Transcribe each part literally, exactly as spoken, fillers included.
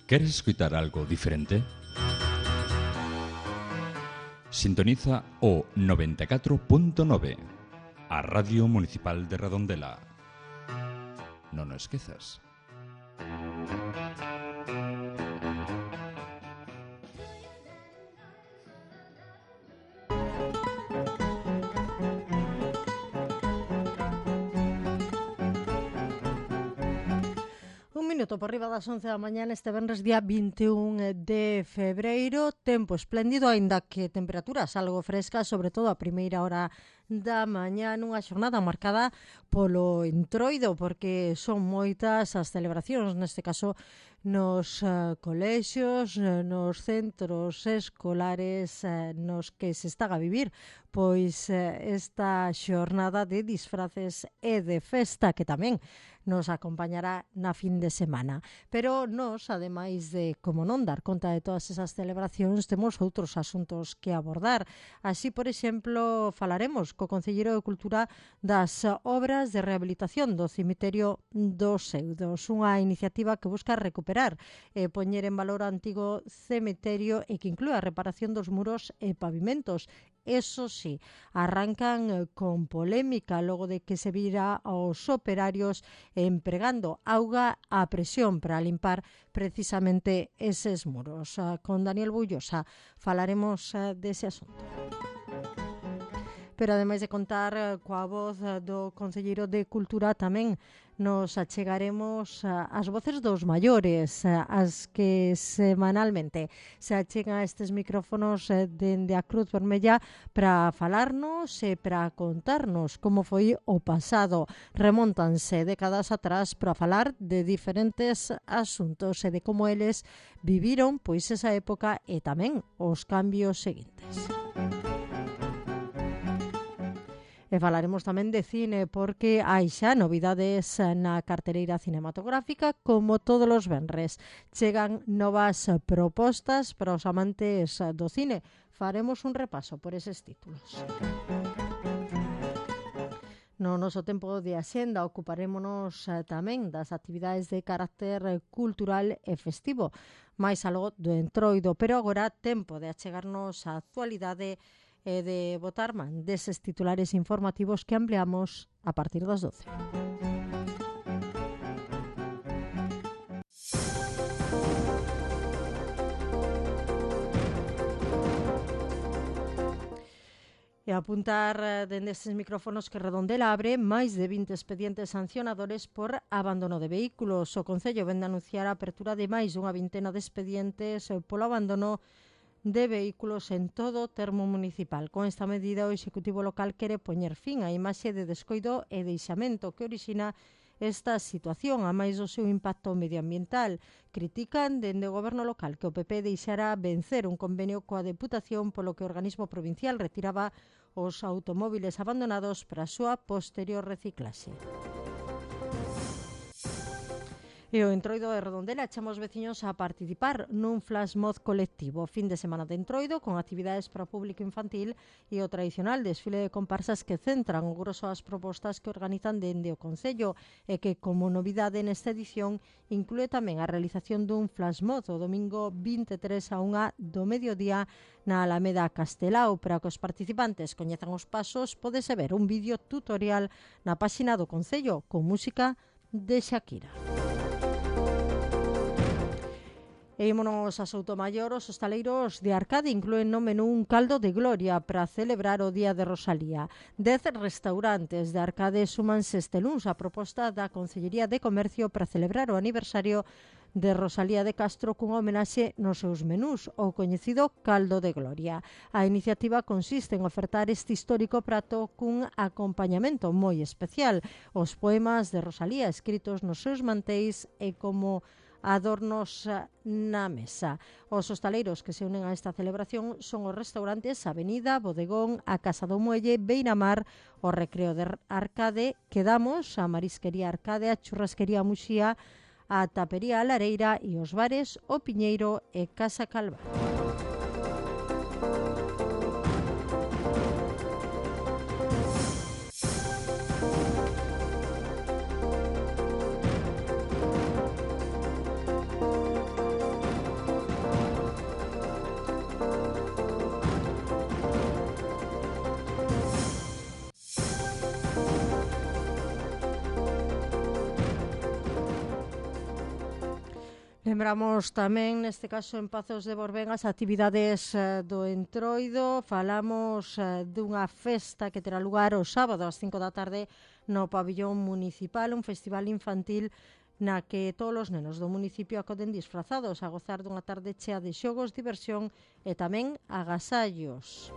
¿Queres escuchar algo diferente? Sintoniza o noventa e catro punto nove, a Radio Municipal de Redondela. Non o esquezas. Minuto por riba das once da mañá este venres día vinte e un de febreiro. Tempo espléndido, aínda que temperaturas algo frescas, sobre todo a primeira hora da mañá, nunha xornada marcada polo entroido, porque son moitas as celebracións, neste caso nos uh, colexios, nos centros escolares uh, nos que se está a vivir pois uh, esta xornada de disfraces e de festa que tamén nos acompañará na fin de semana. Pero nos, ademais de, como non, dar conta de todas esas celebracións, temos outros asuntos que abordar. Así, por exemplo, falaremos co Concelleiro de Cultura das obras de rehabilitación do cemiterio dos Seudos, unha iniciativa que busca recuperar e poñer en valor o antigo cemiterio e que inclúe a reparación dos muros e pavimentos. Eso sí, arrancan con polémica logo de que se vira aos operarios empregando auga a presión para limpar precisamente eses muros. Con Daniel Bullosa falaremos dese asunto. Pero ademais de contar coa voz do Concelleiro de Cultura, tamén nos achegaremos as voces dos maiores, as que semanalmente se achegan a estes micrófonos dende a Cruz Vermella para falarnos e para contarnos como foi o pasado. Remóntanse décadas atrás para falar de diferentes asuntos e de como eles viviron pois esa época e tamén os cambios seguintes. E falaremos tamén de cine porque hai xa novidades na cartereira cinematográfica. Como todos os venres, chegan novas propostas para os amantes do cine. Faremos un repaso por eses títulos. No noso tempo de axenda ocuparémonos tamén das actividades de carácter cultural e festivo, máis algo do entroido, pero agora tempo de achegarnos á actualidade e de botar man deses titulares informativos que ampliamos a partir das doce. E apuntar dende estes micrófonos que Redondela abre máis de vinte expedientes sancionadores por abandono de vehículos. O Concello vende anunciar a apertura de máis dunha vintena de expedientes polo abandono de vehículos en todo o termo municipal. Con esta medida, o Executivo local quere poñer fin á imaxe de descoido e deixamento que orixina esta situación, a máis do seu impacto medioambiental. Critican dende o Goberno local que o P P deixara vencer un convenio coa Deputación polo que o organismo provincial retiraba os automóviles abandonados para a súa posterior reciclaxe. E o Entroido de Redondela chama os veciños a participar nun flash mob colectivo. Fin de semana de Entroido con actividades para o público infantil e o tradicional desfile de comparsas que centran o grosso das propostas que organizan dende o Concello e que, como novidade nesta edición, inclúe tamén a realización dun flash mob o domingo vinte e tres a unha do mediodía na Alameda Castelao. Para que os participantes coñezan os pasos, pódese ver un vídeo tutorial na páxina do Concello con música de Shakira. E ímonos a Soutomaior. Os hostaleiros de Arcade inclúen no menú un caldo de gloria para celebrar o Día de Rosalía. Dez restaurantes de Arcade súmanse este luns a proposta da Concellería de Comercio para celebrar o aniversario de Rosalía de Castro cunha homenaxe nos seus menús, o coñecido caldo de gloria. A iniciativa consiste en ofertar este histórico prato cun acompañamento moi especial, os poemas de Rosalía escritos nos seus manteis e como adornos na mesa. Os hostaleiros que se unen a esta celebración son os restaurantes Avenida, Bodegón, a Casa do Muelle, Beiramar, o Recreo de Arcade, Quedamos, a Marisquería Arcade, a Churrasquería Muxía, a Tapería A Lareira e os bares O Piñeiro e Casa Calvario. Lembramos tamén, neste caso, en Pazos de Borbén, as actividades eh, do Entroido. Falamos eh, dunha festa que terá lugar o sábado ás cinco da tarde no pabillón municipal, un festival infantil na que todos os nenos do municipio acoden disfrazados a gozar dunha tarde chea de xogos, diversión e tamén agasallos.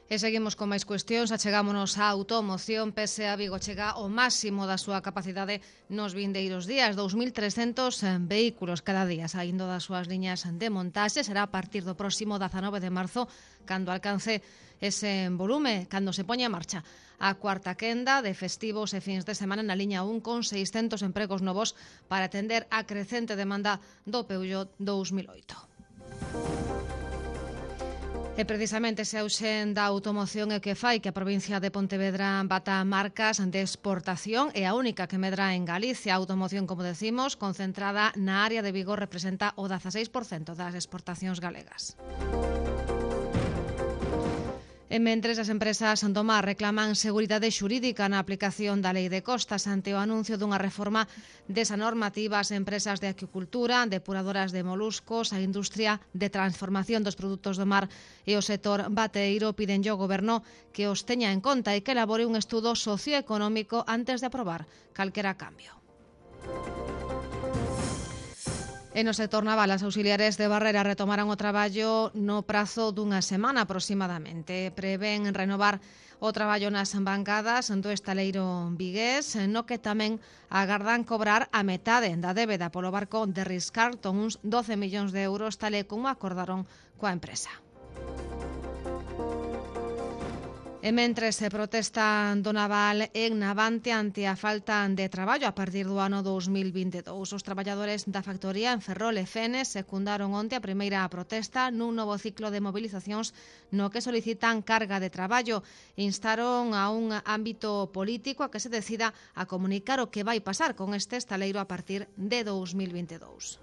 E seguimos con máis cuestións, achegámonos á automoción. P S A Vigo chega ao máximo da súa capacidade nos vindeiros días, dous mil trescentos vehículos cada día saindo das súas liñas de montaxe. Será a partir do próximo dezanove de marzo cando alcance ese volume, cando se poña en marcha a cuarta quenda de festivos e fins de semana na liña un con seiscentos empregos novos para atender a crecente demanda do Peugeot dous mil oito. E precisamente ese auxe da automoción é que fai que a provincia de Pontevedra bata marcas de exportación e a única que medra en Galicia. A automoción, como decimos, concentrada na área de Vigo, representa o dezaseis por cento das exportacións galegas. E mentres as empresas do mar reclaman seguridade xurídica na aplicación da Lei de Costas ante o anuncio dunha reforma desa normativa, as empresas de acuicultura, depuradoras de moluscos, a industria de transformación dos produtos do mar e o sector bateeiro piden ao Goberno que os teña en conta e que elabore un estudo socioeconómico antes de aprobar calquera cambio. E no sector naval, as auxiliares de Barrera retomaran o traballo no prazo dunha semana aproximadamente. Prevén renovar o traballo nas bancadas do estaleiro vigués, no que tamén agardan cobrar a metade da débeda polo barco de Ritz-Carlton, uns doce millóns de euros, tal e como acordaron coa empresa. E mentres se protesta do naval en Navante ante a falta de traballo a partir do ano dous mil vinte e dous. Os traballadores da factoría en Ferrol e Fenes secundaron onte a primeira protesta nun novo ciclo de movilizacións no que solicitan carga de traballo. Instaron a un ámbito político a que se decida a comunicar o que vai pasar con este estaleiro a partir de dous mil vinte e dous.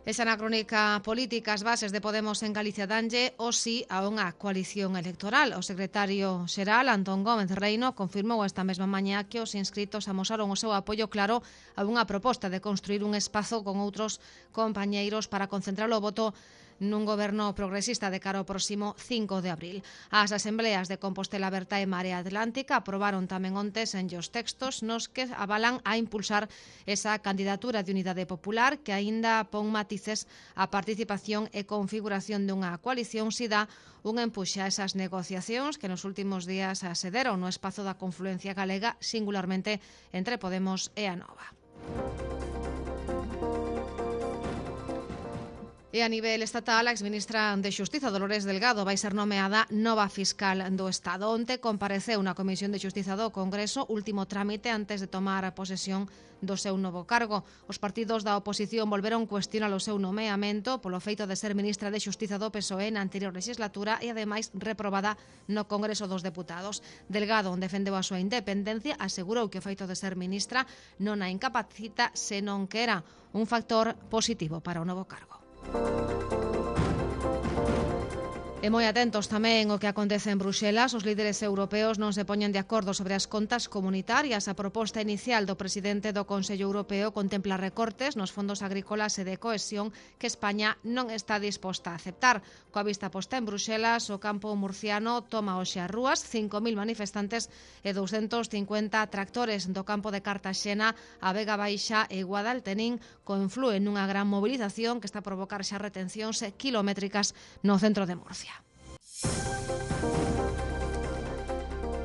Esa na crónica política, as bases de Podemos en Galicia danlle o sí a unha coalición electoral. O secretario xeral, Antón Gómez Reino, confirmou esta mesma mañá que os inscritos amosaron o seu apoio claro a unha proposta de construir un espazo con outros compañeiros para concentrar o voto nun goberno progresista de cara ao próximo cinco de abril. As asembleas de Compostela Aberta e Marea Atlántica aprobaron tamén ontes en os textos nos que avalan a impulsar esa candidatura de Unidade Popular que aínda pon matices a participación e configuración dunha coalición si dá un empuxe a esas negociacións que nos últimos días se deron no espazo da confluencia galega, singularmente entre Podemos e a Nova. E a nivel estatal, a exministra de Xustiza, Dolores Delgado, vai ser nomeada nova fiscal do Estado. Onte compareceu na Comisión de Xustiza do Congreso, último trámite antes de tomar a posesión do seu novo cargo. Os partidos da oposición volveron cuestionar o seu nomeamento polo feito de ser ministra de Xustiza do P S O E na anterior legislatura e, ademais, reprobada no Congreso dos Deputados. Delgado, onde defendeu a súa independencia, asegurou que o feito de ser ministra non a incapacita, senón que era un factor positivo para o novo cargo. E moi atentos tamén o que acontece en Bruxelas. Os líderes europeos non se poñen de acordo sobre as contas comunitarias. A proposta inicial do presidente do Consello Europeo contempla recortes nos fondos agrícolas e de cohesión que España non está disposta a aceptar. Coa vista posta en Bruxelas, o campo murciano toma hoxe as rúas, cinco mil manifestantes e douscentos cincuenta tractores do campo de Cartaxena, a Vega Baixa e Guadaltenín conflúen nunha gran movilización que está a provocar xa retencións kilométricas no centro de Murcia.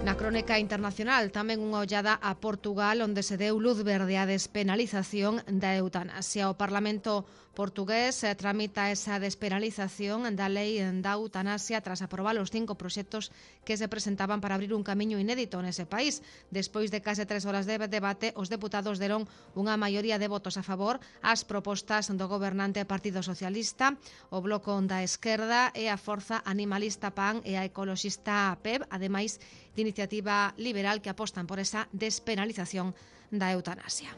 Na crónica internacional, tamén unha ollada a Portugal, onde se deu luz verde á despenalización da eutanasia. O Parlamento portugués tramita esa despenalización da lei da eutanasia tras aprobar os cinco proxectos que se presentaban para abrir un camiño inédito nese país. Despois de case tres horas de debate, os deputados deron unha maioría de votos a favor ás propostas do gobernante Partido Socialista, o Bloco da Esquerda e a Forza Animalista P A N e a ecoloxista P E B, ademais de Iniciativa Liberal, que apostan por esa despenalización da eutanasia.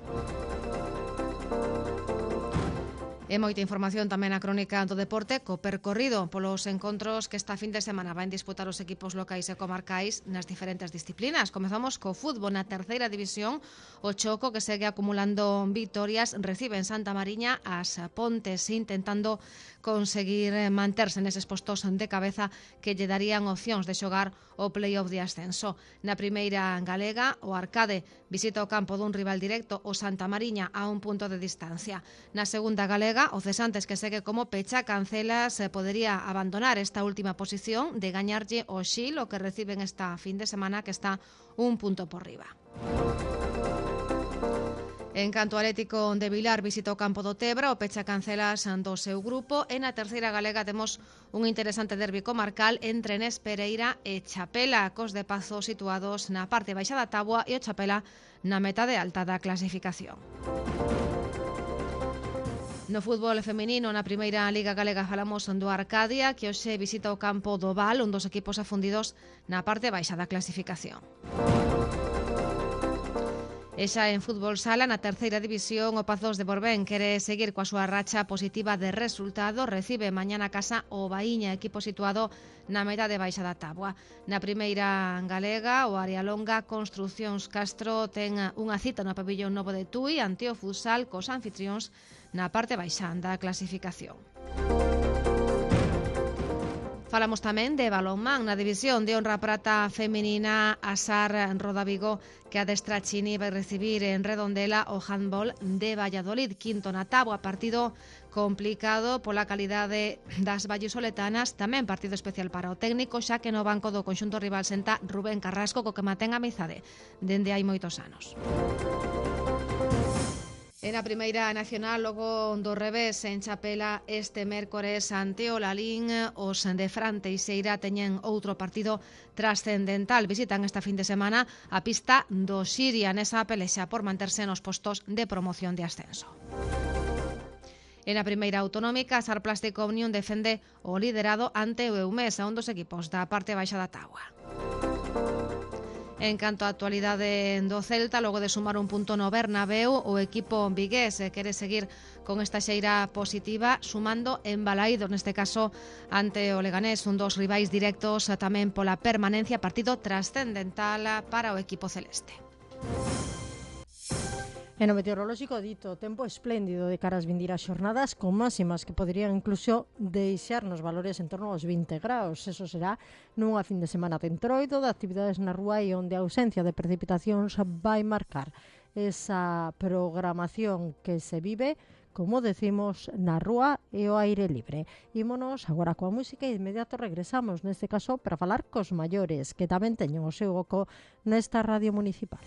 E E moita información tamén na crónica do deporte co percorrido polos encontros que esta fin de semana van disputar os equipos locais e comarcais nas diferentes disciplinas. Comezamos co fútbol na terceira división. O Choco, que segue acumulando vitorias, recibe en Santa Mariña as Pontes, intentando conseguir manterse neses postos de cabeza que lle darían opcións de xogar o play-off de ascenso. Na primeira galega, o Arcade visita o campo dun rival directo, o Santa Mariña, a un punto de distancia. Na segunda galega, o Cesantes, que segue como pecha cancelas, eh, podería abandonar esta última posición de gañarlle o Xil, o que reciben esta fin de semana, que está un punto por riba. En canto ao Atlético de Vilar visita o campo do Tebra, o pecha cancelas do seu grupo. E na terceira galega temos un interesante derbi comarcal entre Nes Pereira e Chapela, cos de Pazo situados na parte baixa da táboa e o Chapela na metade alta da clasificación. No fútbol feminino, na primeira Liga Galega, falamos do Arcadia, que hoxe visita o campo do Val, un dos equipos afundidos na parte baixa da clasificación. E xa en fútbol sala, na terceira división, o Pazos de Borbén quere seguir coa súa racha positiva de resultados. Recibe mañá na casa o Baíña, equipo situado na metade baixa da táboa. Na primeira galega, o Arialonga Construcións Castro ten unha cita no pabillón novo de Tui ante o futsal cos anfitrións na parte baixa da clasificación. Falamos tamén de balonmán na división de honra prata feminina. A Sar Rodavigo, que adestra Chini, vai recibir en Redondela o handball de Valladolid, quinto na táboa. Partido complicado pola calidade das vallisoletanas, tamén partido especial para o técnico, xa que no banco do conxunto rival senta Rubén Carrasco, co que mantén amizade dende hai moitos anos. En a primeira nacional, logo do revés en Chapela este mércores ante o Lalín, os de Fran Teixeira teñen outro partido trascendental. Visitan esta fin de semana a pista do Xiria nesa pelexa por manterse nos postos de promoción de ascenso. En a primeira autonómica, a Sar Plástico Unión defende o liderado ante o Eumés, a un dos equipos da parte baixa da táboa. En canto á actualidade do Celta, logo de sumar un punto no Bernabéu, o equipo vigués quere seguir con esta xeira positiva, sumando en Balaídos, neste caso ante o Leganés, un dos rivais directos tamén pola permanencia, partido trascendental para o equipo celeste. E no meteorolóxico dito, tempo espléndido de caras vindiras xornadas con máximas que poderían incluso deixar nos valores en torno aos vinte graus. Eso será nunha fin de semana de entroido de actividades na rúa e onde a ausencia de precipitacións vai marcar esa programación que se vive, como decimos, na rúa e o aire libre. Ímonos agora coa música e de inmediato regresamos, neste caso, para falar cos maiores, que tamén teñen o seu oco nesta radio municipal.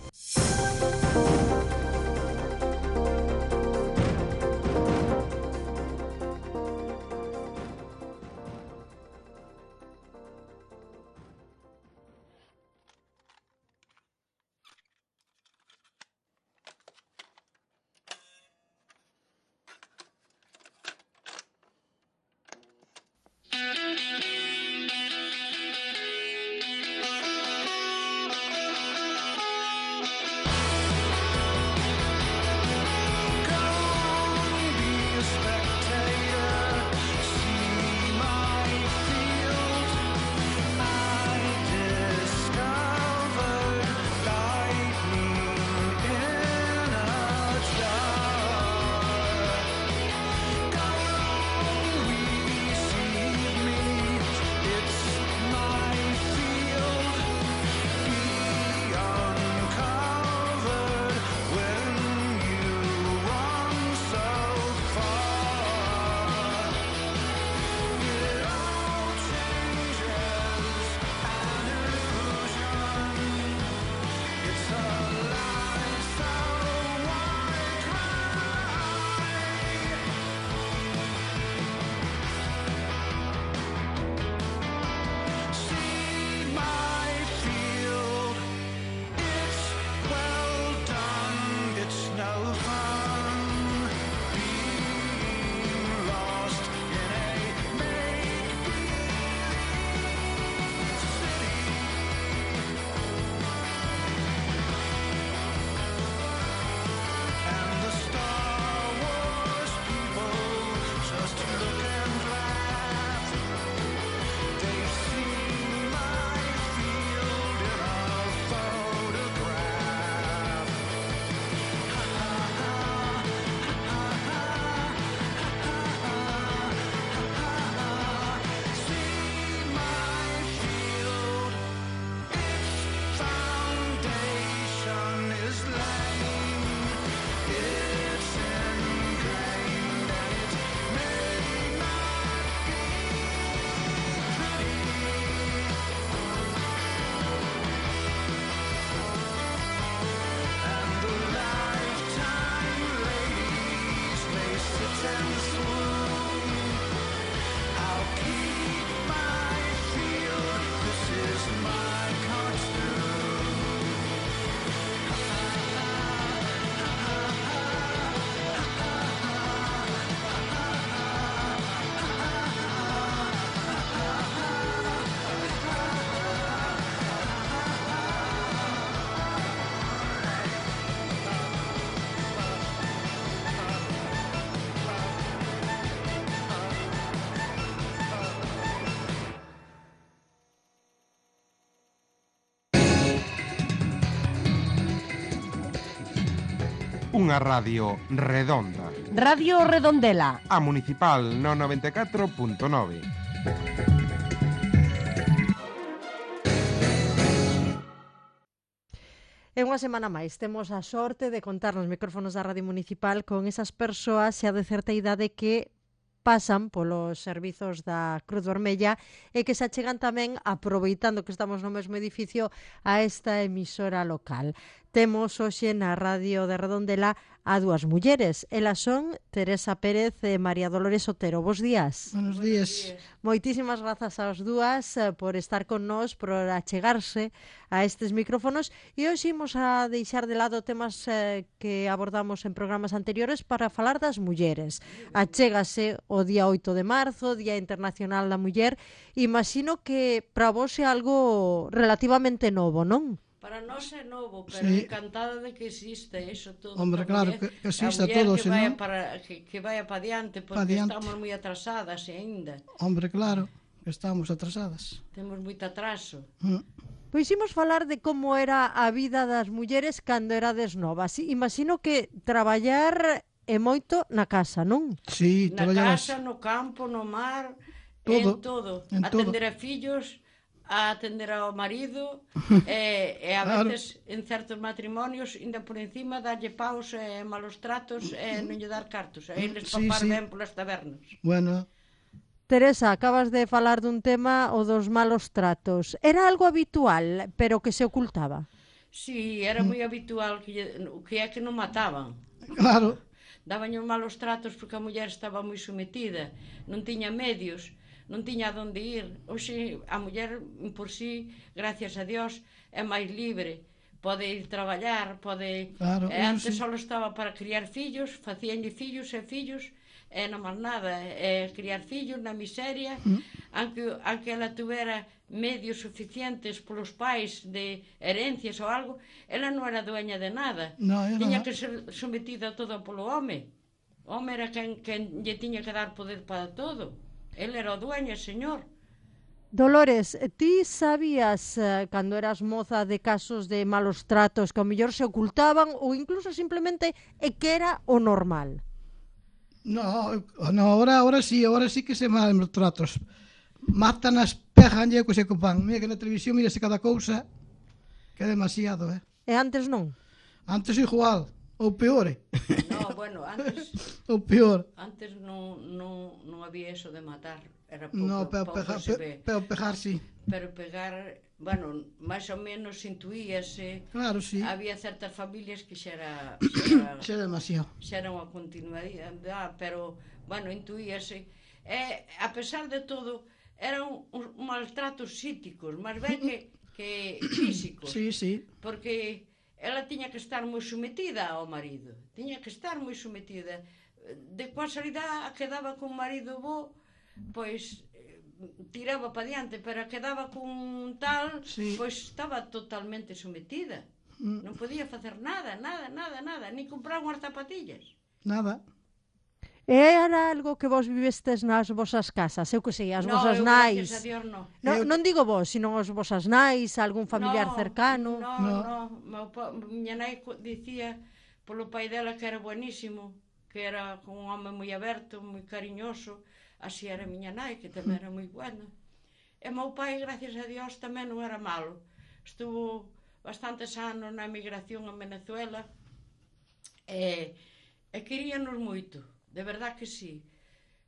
Unha radio redonda. Radio Redondela. A Municipal no noventa e catro punto nove. E unha semana máis temos a sorte de contar nos micrófonos da Radio Municipal con esas persoas xa de certa idade que pasan polos servizos da Cruz Vermella e que se achegan tamén, aproveitando que estamos no mesmo edificio, a esta emisora local. Temos hoxe na Radio de Redondela a dúas mulleres. Elas son Teresa Pérez e María Dolores Otero. Bos días. Buenos días. Moitísimas grazas ás dúas eh, por estar con nós, por achegarse a estes micrófonos, e hoxe imos a deixar de lado temas eh, que abordamos en programas anteriores para falar das mulleres. Achégase o día oito de marzo, Día Internacional da Muller. Imagino que para vos é algo relativamente novo, non? Para nós é novo, pero Sí. encantada de que existe eso todo. Hombre, que a claro, muller- que- que exista a muller todo, que senón- vaya para, que, que vaya para diante, porque Pa diante. estamos moi atrasadas ainda. Hombre, claro, que estamos atrasadas. Temos moito atraso. Mm. Pois imos falar de como era a vida das mulleres cando erades novas. Imagino que traballar é moito na casa, non? Sí, Na traballabas. casa, no campo, no mar, Todo, en todo. en Atender a fillos, a atender ao marido, e, e a Claro. veces en certos matrimonios, ainda por encima, darlle paus e malos tratos e non lle dar cartos. E eles Sí, papar sí. ben polas tabernas. Bueno, Teresa, acabas de falar dun tema, o dos malos tratos. Era algo habitual, pero que se ocultaba. Sí, era moi habitual que, lle- o que é que non mataban. claro, Daban os malos tratos porque a muller estaba moi sometida, non tiña medios, non tiña onde ir. Hoxe a muller por sí, gracias a Dios, é máis libre. Pode ir traballar, pode... Claro, e eso antes sí. só estaba para criar fillos, facíanlle fillos e fillos, e non máis nada, é criar fillos na miseria, Mm. aunque, aunque ela tuvera medios suficientes polos pais de herencias ou algo, ela non era dueña de nada. No, era Tiña nada. que ser sometida todo polo home. O home era quen, quen lle tiña que dar poder para todo. El era o dueño, señor. Dolores, ti sabías, eh, cando eras moza, de casos de malos tratos que ao mellor se ocultaban ou incluso simplemente é que era o normal? no, no, ahora, ahora sí, ahora sí que se mal os tratos. Matan as pejan e que se copan. Mira que na televisión mírase cada cousa, que é demasiado, eh. E antes non? Antes igual, ou peor, eh. No, bueno, antes ou peor. antes non, non, non había eso de matar. Era pouco, No, pero pouco pejar, se pe, ve. pero pejar sí. Pero pegar, bueno, máis ou menos intuíase. Claro, sí. Había certas familias que xa era, xa era Xa é demasiado. xa era unha continuidade, pero, bueno, intuíase. E, a pesar de todo, eran uns maltratos psíquicos, máis ben que, que físicos. Sí, sí. Porque ela tiña que estar moi sometida ao marido. Tiña que estar moi sometida. De casualidade, quedaba con marido bo, pois eh, tiraba para diante, pero quedaba con tal, Sí. pois estaba totalmente sometida. Mm. Non podía facer nada, nada, nada, nada, ni comprar unhas zapatillas. Nada. E era algo que vos vivestes nas vosas casas? Eu que sei, as No, vosas eu, nais. gracias a Dios, no. No, Eu- non digo vos, sino os vosas nais, algún familiar no, cercano. No, No. no, no. Pa, miña nai co- dicía polo pai dela que era buenísimo, que era un home moi aberto, moi cariñoso. Así era miña nai, que tamén era moi buena. E meu pai, gracias a Dios, tamén non era malo. Estuvo bastantes anos na emigración en Venezuela e, e queríanos moito, de verdad que sí.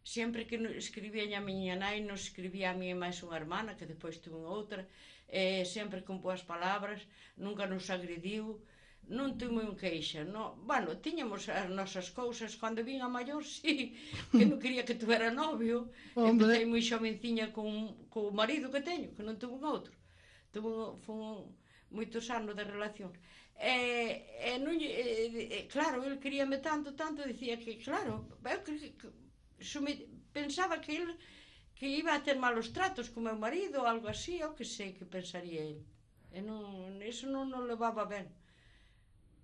Sempre que no- escribía a miña nai, nos escribía a mí e máis unha hermana, que depois tuve outra, e sempre con boas palabras, nunca nos agrediu, non tuve un queixa, no. Bueno, tiñamos as nosas cousas, cando vin a maior, sí, que non quería que tuvera novio, Hombre. empecé moi xovenciña con, con o marido que teño, que non tuve un outro, tuve fun moitos anos de relación. E, e non, lle- e, e, claro, el queríame tanto, tanto, dicía que, claro, eu que, que, sume, pensaba que el que iba a ter malos tratos con meu marido ou algo así, ou que sei que pensaría el. E non, eso non nos levaba ben.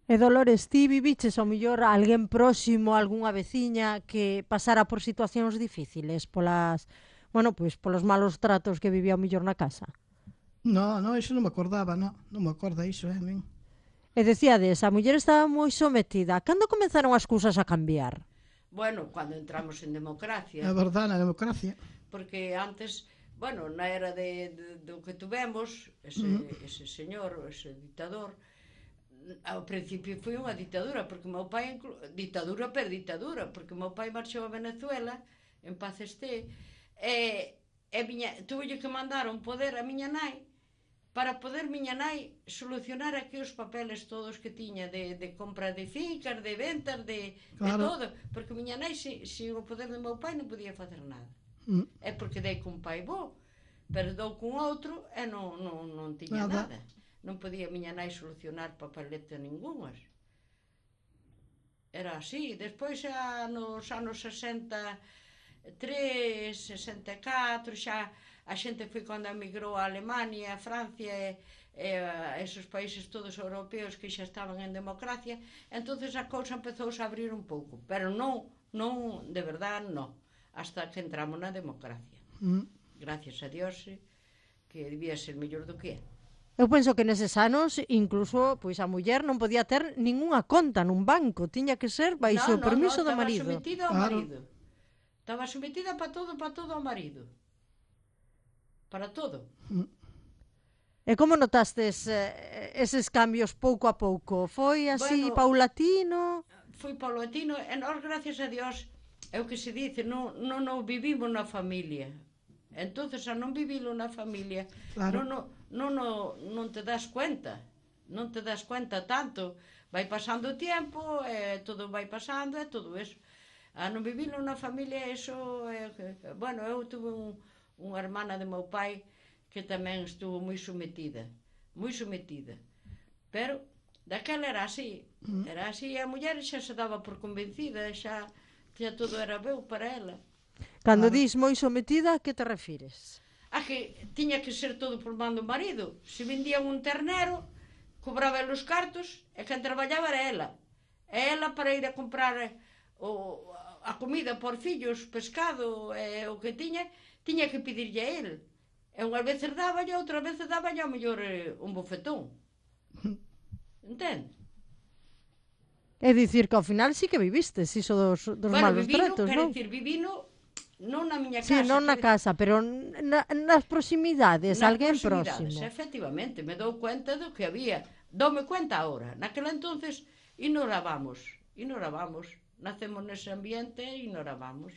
E Dolores, ti viviches ao mellor a alguén próximo, algunha veciña que pasara por situacións difíciles polas, bueno, pois polos malos tratos que vivía ao mellor na casa? No, no, iso non me acordaba, no. Non me acorda iso, eh, a min. E decíades, a muller estaba moi sometida. Cando comenzaron as cousas a cambiar? Bueno, cando entramos en democracia. É verdade, na democracia. Porque antes, bueno, na era de, de, do que tuvemos, ese, uh -huh. ese señor, ese dictador, ao principio foi unha ditadura, porque meu pai, ditadura per ditadura, porque meu pai marchou a Venezuela, en paz este, e, e miña, tuve que mandar un poder a miña nai, para poder miña nai solucionar aquí os papeles todos que tiña de, de compra de fincas, de ventas, de, claro. de todo, porque miña nai, sin, sin o poder do meu pai, non podía facer nada. Mm. É porque dei cun pai bo, pero dou cun outro e non, non, non tiña nada. nada. Non podía miña nai solucionar papeleta ningunhas. Era así. Despois, xa nos anos sesenta e tres, sesenta e catro, xa a xente foi cando emigrou a Alemania, a Francia e, e a esos países todos europeos que xa estaban en democracia, entonces a cousa empezou a abrir un pouco, pero non, non, de verdad, non, hasta que entramos na democracia. Mm. Gracias a Dios, que debía ser mellor do que é. Eu penso que neses anos, incluso, pois a muller non podía ter ningunha conta nun banco, tiña que ser baixo o permiso do marido. Non, non, estaba sometida ao marido. Estaba sometida para todo, para todo ao marido. Para todo. E como notastes eh, eses cambios pouco a pouco? Foi así, bueno, paulatino? Foi paulatino, e nós, gracias a Dios, é o que se dice, non, non, non vivimos na familia. Entonces, a non vivilo na familia, claro. non, non, non, non te das cuenta, non te das cuenta tanto. Vai pasando o tempo, e todo vai pasando, e todo eso. A non vivilo na familia, eso, é, bueno, eu tuve un unha hermana de meu pai que tamén estuvo moi sometida, moi sometida. Pero daquela era así, era así, e a muller xa se daba por convencida, xa, xa todo era veu para ela. Cando claro. Dis moi sometida, a que te refires? A que tiña que ser todo por mando do marido. Se vendían un ternero, cobraba os cartos, e quen traballaba era ela. E ela para ir a comprar o, a comida por fillos, pescado, e o que tiña, tiña que pedirlle a ele. E unhas veces daba e outras veces daba ao mellor eh, un bofetón. Entende? É dicir que ao final sí que vivistes iso dos, dos bueno, malos vivino, tratos, non? Bueno, dicir, vivino non na miña casa. Sí, non na casa, pero na, nas proximidades, nas alguén proximidades, próximo. Efectivamente, me dou cuenta do que había. Doume cuenta ahora. Naquela entonces ignorábamos, ignorábamos. Nacemos nese ambiente e ignorábamos.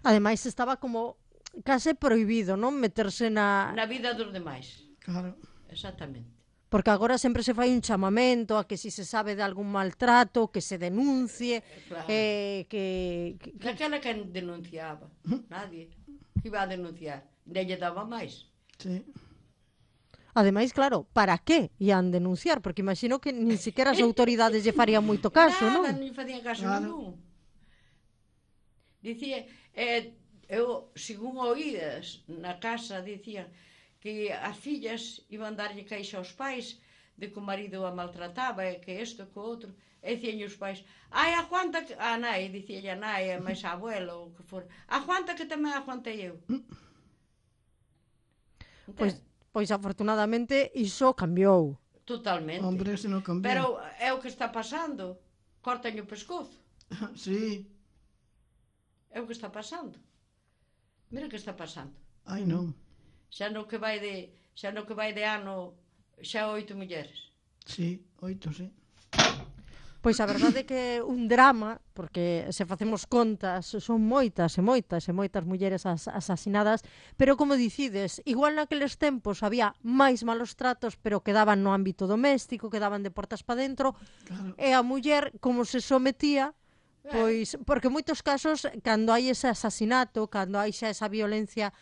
Ademais, estaba como case prohibido, non? Meterse na... Na vida dos demais. Claro. Exactamente. Porque agora sempre se fai un chamamento a que si se sabe de algún maltrato, que se denuncie, claro. eh, que... que... Daquela que denunciaba, nadie. Que iba a denunciar, de lle daba máis. Sí. Ademais, claro, para que ian denunciar? Porque imagino que nin siquiera as autoridades lle farían moito caso, Nada, non? Nada, nin facían caso claro. Ningún. Dicía, eh, eu, según oídas na casa, dicían que as fillas iban darlle caixa aos pais de que o marido a maltrataba e que isto, que o outro. E dicían os pais, ai, aguanta que... A nai, dicía a nai, a máis a abuela, ou que for, aguanta que tamén aguantei eu. Pois, pois afortunadamente iso cambiou. Totalmente. Hombre, se non cambiou. Pero é o que está pasando. Cortan o pescozo. Sí. É o que está pasando. Mira o que está pasando. Ai, non. Xa no que vai de, xa no que vai de ano, xa oito mulleres. Sí, oito, sí. Pois a verdade é que é un drama, porque se facemos contas, son moitas e moitas e moitas mulleres as, asasinadas, pero como dicides, igual naqueles tempos había máis malos tratos, pero quedaban no ámbito doméstico, quedaban de portas para dentro, claro. E a muller, como se sometía, pois, porque en moitos casos, cando hai ese asasinato, cando hai xa esa violencia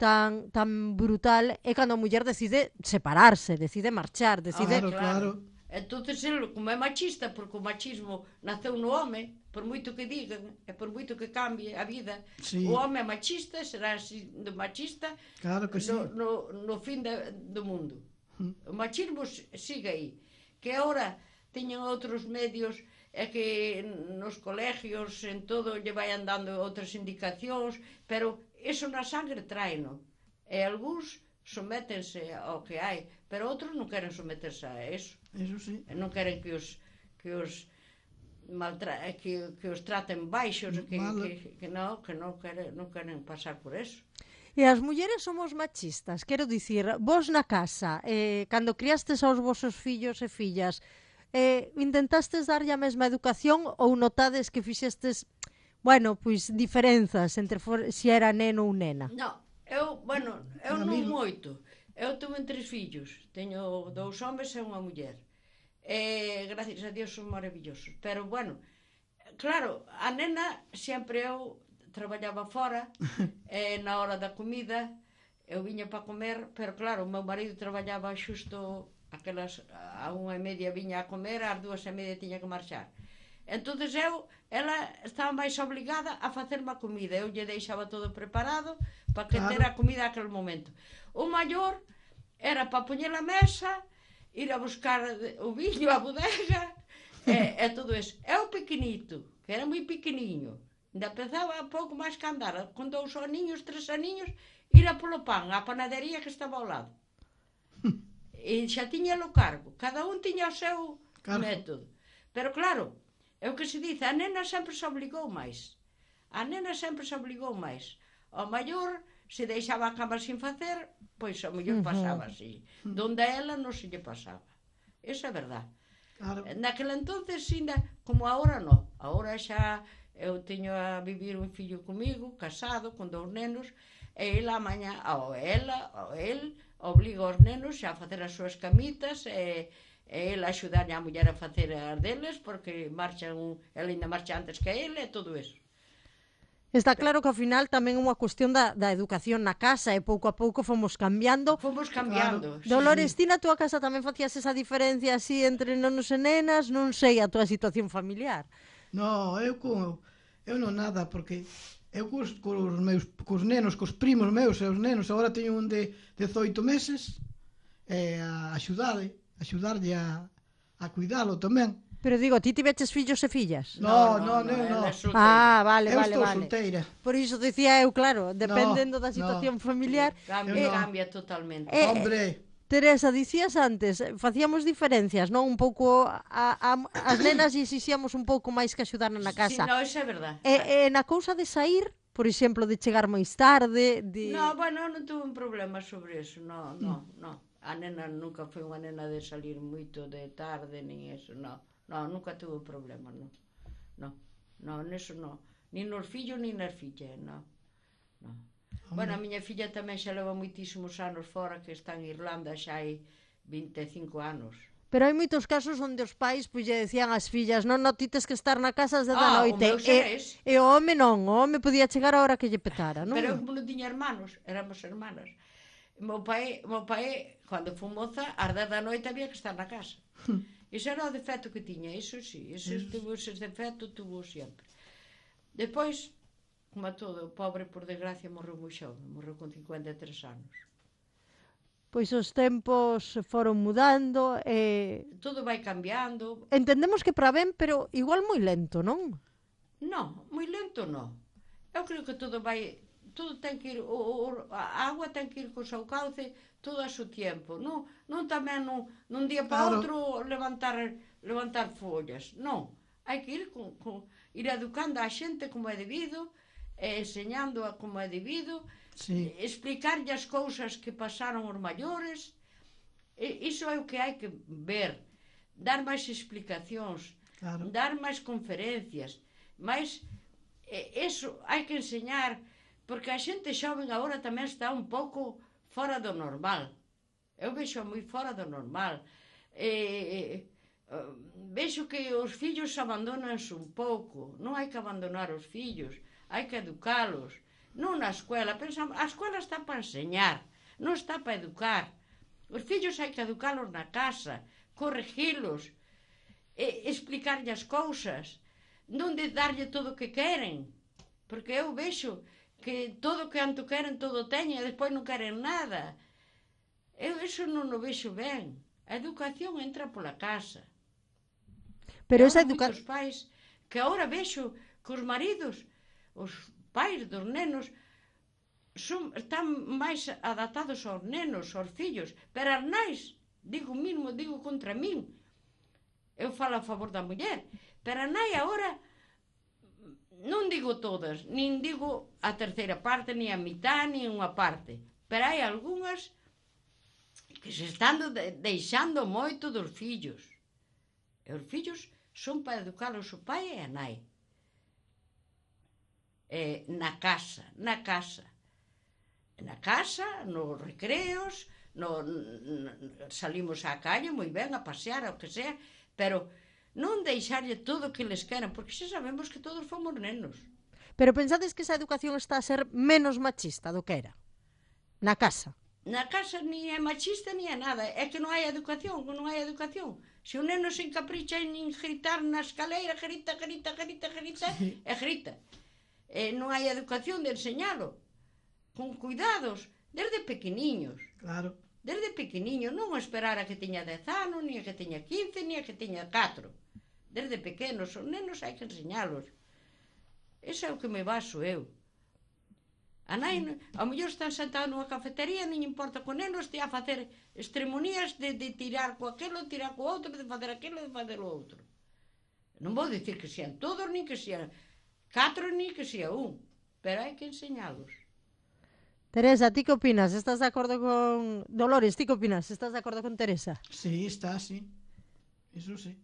tan, tan brutal, é cando a muller decide separarse, decide marchar, decide... Claro, claro. Entonces, ele, como é machista, porque o machismo naceu no home, por moito que digan, e por moito que cambie a vida, sí. O home é machista, será así de machista claro que sí. no, no, no fin de, do mundo. Mm. O machismo sigue aí. Que agora teñen outros medios, é que nos colegios, en todo, lle vayan dando outras indicacións, pero iso na sangre traeno. E algúns sométense ao que hai, pero outros non queren someterse a eso. Eso sí. E non queren que os que os maltra que, que os traten baixos, que, que, que non, que non queren, non queren pasar por eso. E as mulleres somos machistas, quero dicir, vos na casa, eh, cando criastes aos vosos fillos e fillas, eh, intentastes darlle a mesma educación ou notades que fixestes, bueno, pois diferenzas entre for, si era neno ou nena? Non, eu, bueno, eu non moito. Eu tuve tres fillos, teño dous homes e unha muller. E, gracias a Dios, son maravillosos. Pero, bueno, claro, a nena, sempre eu traballaba fora, e na hora da comida, eu viña para comer, pero, claro, o meu marido traballaba xusto aquelas, a unha e media viña a comer, ás dúas e media tiña que marchar. Entonces eu, ela estaba máis obligada a facerme a comida. Eu lle deixaba todo preparado para que claro. ter a comida aquel momento. O maior era para poñer a mesa, ir a buscar o viño, a bodega, e, e todo eso. É o pequenito, que era moi pequeniño, ainda pensaba pouco máis que andar, con dous aninhos, tres aninhos, ir a polo pan, á panadería que estaba ao lado. E xa tiña o cargo, cada un tiña o seu claro. método. Pero claro, é o que se dice, a nena sempre se obligou máis. A nena sempre se obligou máis. O maior, se deixaba a cama sin facer, pois o mellor pasaba así. Donde a ela non se lle pasaba. Eso é verdad. Claro. Naquela entonces, ainda, como agora non. Agora xa eu teño a vivir un fillo comigo, casado, con dous nenos, e ela mañá, ou ela, ou el, obliga os nenos a facer as súas camitas, e e ele axudarlle a muller a facer as deles, porque marchan, ele ainda marcha antes que ele, e todo eso. Está claro que ao final tamén é unha cuestión da, da educación na casa, e pouco a pouco fomos cambiando. Fomos cambiando. Claro. Dolores, ti na túa casa tamén facías esa diferencia así entre nenos e nenas? Non sei a túa situación familiar. No, eu con, eu non nada, porque eu cos, cos, meus, cos nenos, cos primos meus e os nenos, agora teño un de dezoito meses, e a axudade, axudarlle a, a cuidalo tamén. Pero digo, ti tiveches fillos e fillas? No, no, no, no. no. Ah, vale, eu vale, estou vale. solteira. Por iso dicía eu, claro, dependendo no, da situación no. familiar. Cambia, eh, cambia totalmente. Eh, Hombre. Teresa, dicías antes, facíamos diferencias, non? Un pouco a, a, as nenas e exixíamos un pouco máis que axudar na casa. Sí, no, eso é verdad. E, e na cousa de sair, por exemplo, de chegar máis tarde, de... No, bueno, non tuve un problema sobre eso, no, no, mm. no. A nena nunca foi unha nena de salir moito de tarde, nin eso, no. No, nunca tuve problema, no. No, no, neso no. Nin nos fillos, nin nas fillas, no. No. Bueno, a miña filla tamén xa leva moitísimos anos fora, que está en Irlanda xa hai vinte e cinco anos. Pero hai moitos casos onde os pais pois lle decían ás fillas, non, non, ti tes que estar na casa desde ah, a noite. O meu e, e o home non, o home podía chegar a hora que lle petara, non? Pero eu como non tiña hermanos, éramos hermanas. Meu pai, meu pai, cando foi moza, ás dez da noite había que estar na casa. Iso era o defecto que tiña, iso sí, iso tuvo ese defecto, tuvo sempre. Depois, como a todo, o pobre, por desgracia, morreu moi xove, morreu con cincuenta e tres anos. Pois os tempos foron mudando e... Todo vai cambiando. Entendemos que para ben, pero igual moi lento, non? Non, moi lento non. Eu creo que todo vai... Todo ten que ir... O, o, a agua ten que ir co seu cauce todo a seu tempo. Non, non tamén nun, nun día para claro. outro levantar, levantar follas. Non. Hai que ir, con, con, ir educando a xente como é debido, e enseñando a como é debido, sí. Explicarlle as cousas que pasaron os maiores. E, iso é o que hai que ver. Dar máis explicacións, claro. Dar máis conferencias, máis... E, eso hai que enseñar, porque a xente xoven agora tamén está un pouco fora do normal. Eu vexo moi fora do normal. E, e, vexo que os fillos abandonanse un pouco. Non hai que abandonar os fillos, hai que educalos. Non na escuela, pensamos, a escuela está para enseñar, non está para educar. Os fillos hai que educalos na casa, corregilos, e, explicarlle as cousas, non de darlle todo o que queren, porque eu vexo que todo o que anto queren, todo teñen, e despois non queren nada. Eu iso non o vexo ben. A educación entra pola casa. Pero esa educación... Moitos pais, que agora vexo que os maridos, os pais dos nenos, son, están máis adaptados aos nenos, aos fillos, pero as nais, digo mismo, digo contra min, eu falo a favor da muller, pero a nai agora, non digo todas, nin digo a terceira parte, nin a mitad, nin unha parte, pero hai algunhas que se están de, deixando moito dos fillos. E os fillos son para educalos o pai e a nai. E na casa, na casa. Na casa, nos recreos, no, no, salimos á calle, moi ben, a pasear, o que sea, pero non deixarlle todo o que les queran, porque xa sabemos que todos fomos nenos. Pero pensades que esa educación está a ser menos machista do que era? Na casa? Na casa ni é machista ni é nada, é que non hai educación, non hai educación. Se o neno se encapricha en gritar na escaleira, grita, grita, grita, grita, sí. E grita. E non hai educación de enseñalo. Con cuidados, desde pequeniños. Claro. Desde pequeniño, non esperar a que teña dez anos, ni a que teña quince, ni a que teña catro. Desde pequenos, os nenos hai que enseñalos. Ese é o que me baso eu. A nai, ao mellor están sentados nunha cafetería, non importa que o neno estea a facer extremonías de, de tirar co aquelo, tirar co outro, de facer aquilo, de facer o outro. Non vou dicir que sean todos, nin que sean catro, nin que sea un, pero hai que enseñalos. Teresa, ti que opinas? Estás de acordo con... Dolores, ti que opinas? Estás de acordo con Teresa? Sí, está, sí. Iso sí,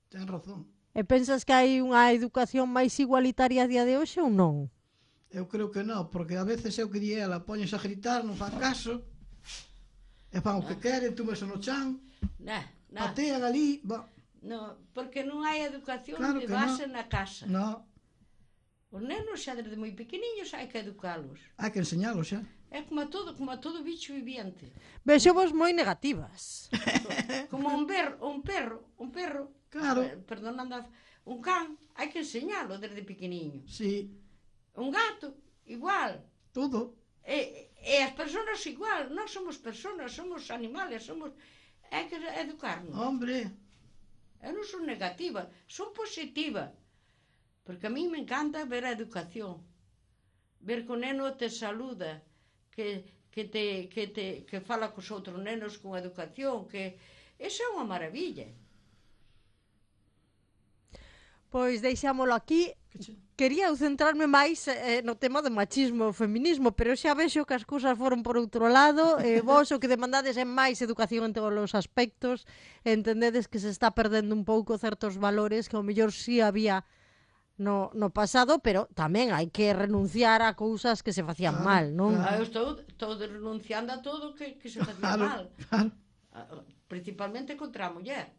ten razón. E pensas que hai unha educación máis igualitaria a día de hoxe ou non? Eu creo que non, porque a veces é o que di ela, poñes a gritar, non fan caso, e fan o que queren, túmese no chan, nah, nah. patean ali, va. No, porque non hai educación Claro de que base no. na casa. No, Os nenos xa desde moi pequeniños hai que educalos. hai que enseñalos xa. É como a todo, como a todo bicho viviente. Vexo vos moi negativas. Como un perro, un perro, un perro. Claro. Eh, perdonando, a- un can, hai que enseñalo desde pequeniño. Sí, Un gato, igual. todo. E, e as persoas igual, non somos persoas, somos animales, somos... Hai que educarnos. Hombre, Eu non son negativa, son positiva. Porque a mí me encanta ver a educación. Ver que o neno te saluda, que, que, te, que, te, que fala cos outros nenos con educación, que... Eso é unha maravilla. Pois deixámolo aquí. Quería eu centrarme máis eh, no tema do machismo e feminismo, pero xa vexo que as cousas foron por outro lado, e vos o que demandades é máis educación en todos os aspectos, entendedes que se está perdendo un pouco certos valores que ao mellor sí había no, no pasado, pero tamén hai que renunciar a cousas que se facían Claro, mal, non? claro. Ah, eu estou, estou renunciando a todo que, que se facía Claro, mal. claro. Ah, principalmente contra a muller.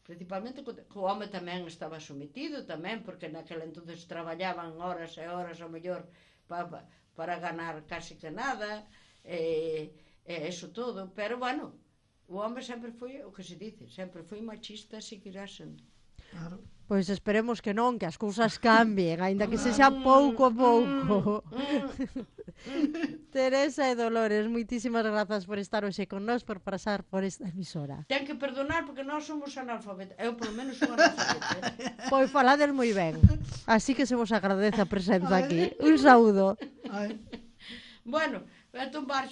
Principalmente contra... O home tamén estaba sometido tamén, porque naquela entonces traballaban horas e horas ao mellor pa, pa, para ganar casi que nada, e, e eso todo, pero bueno, o home sempre foi, o que se dice, sempre foi machista, seguirá sendo. Claro. Pois esperemos que non, que as cousas cambien, aínda que sexa pouco a pouco. Teresa e Dolores, moitísimas grazas por estar hoxe con nós, por pasar por esta emisora. Ten que perdonar porque nós somos analfabetas. Eu, polo menos, son analfabeta. Eh? Pois falades moi ben, así que se vos agradece a presenza aquí. Un saúdo. Ai. Bueno, voy a tumbar.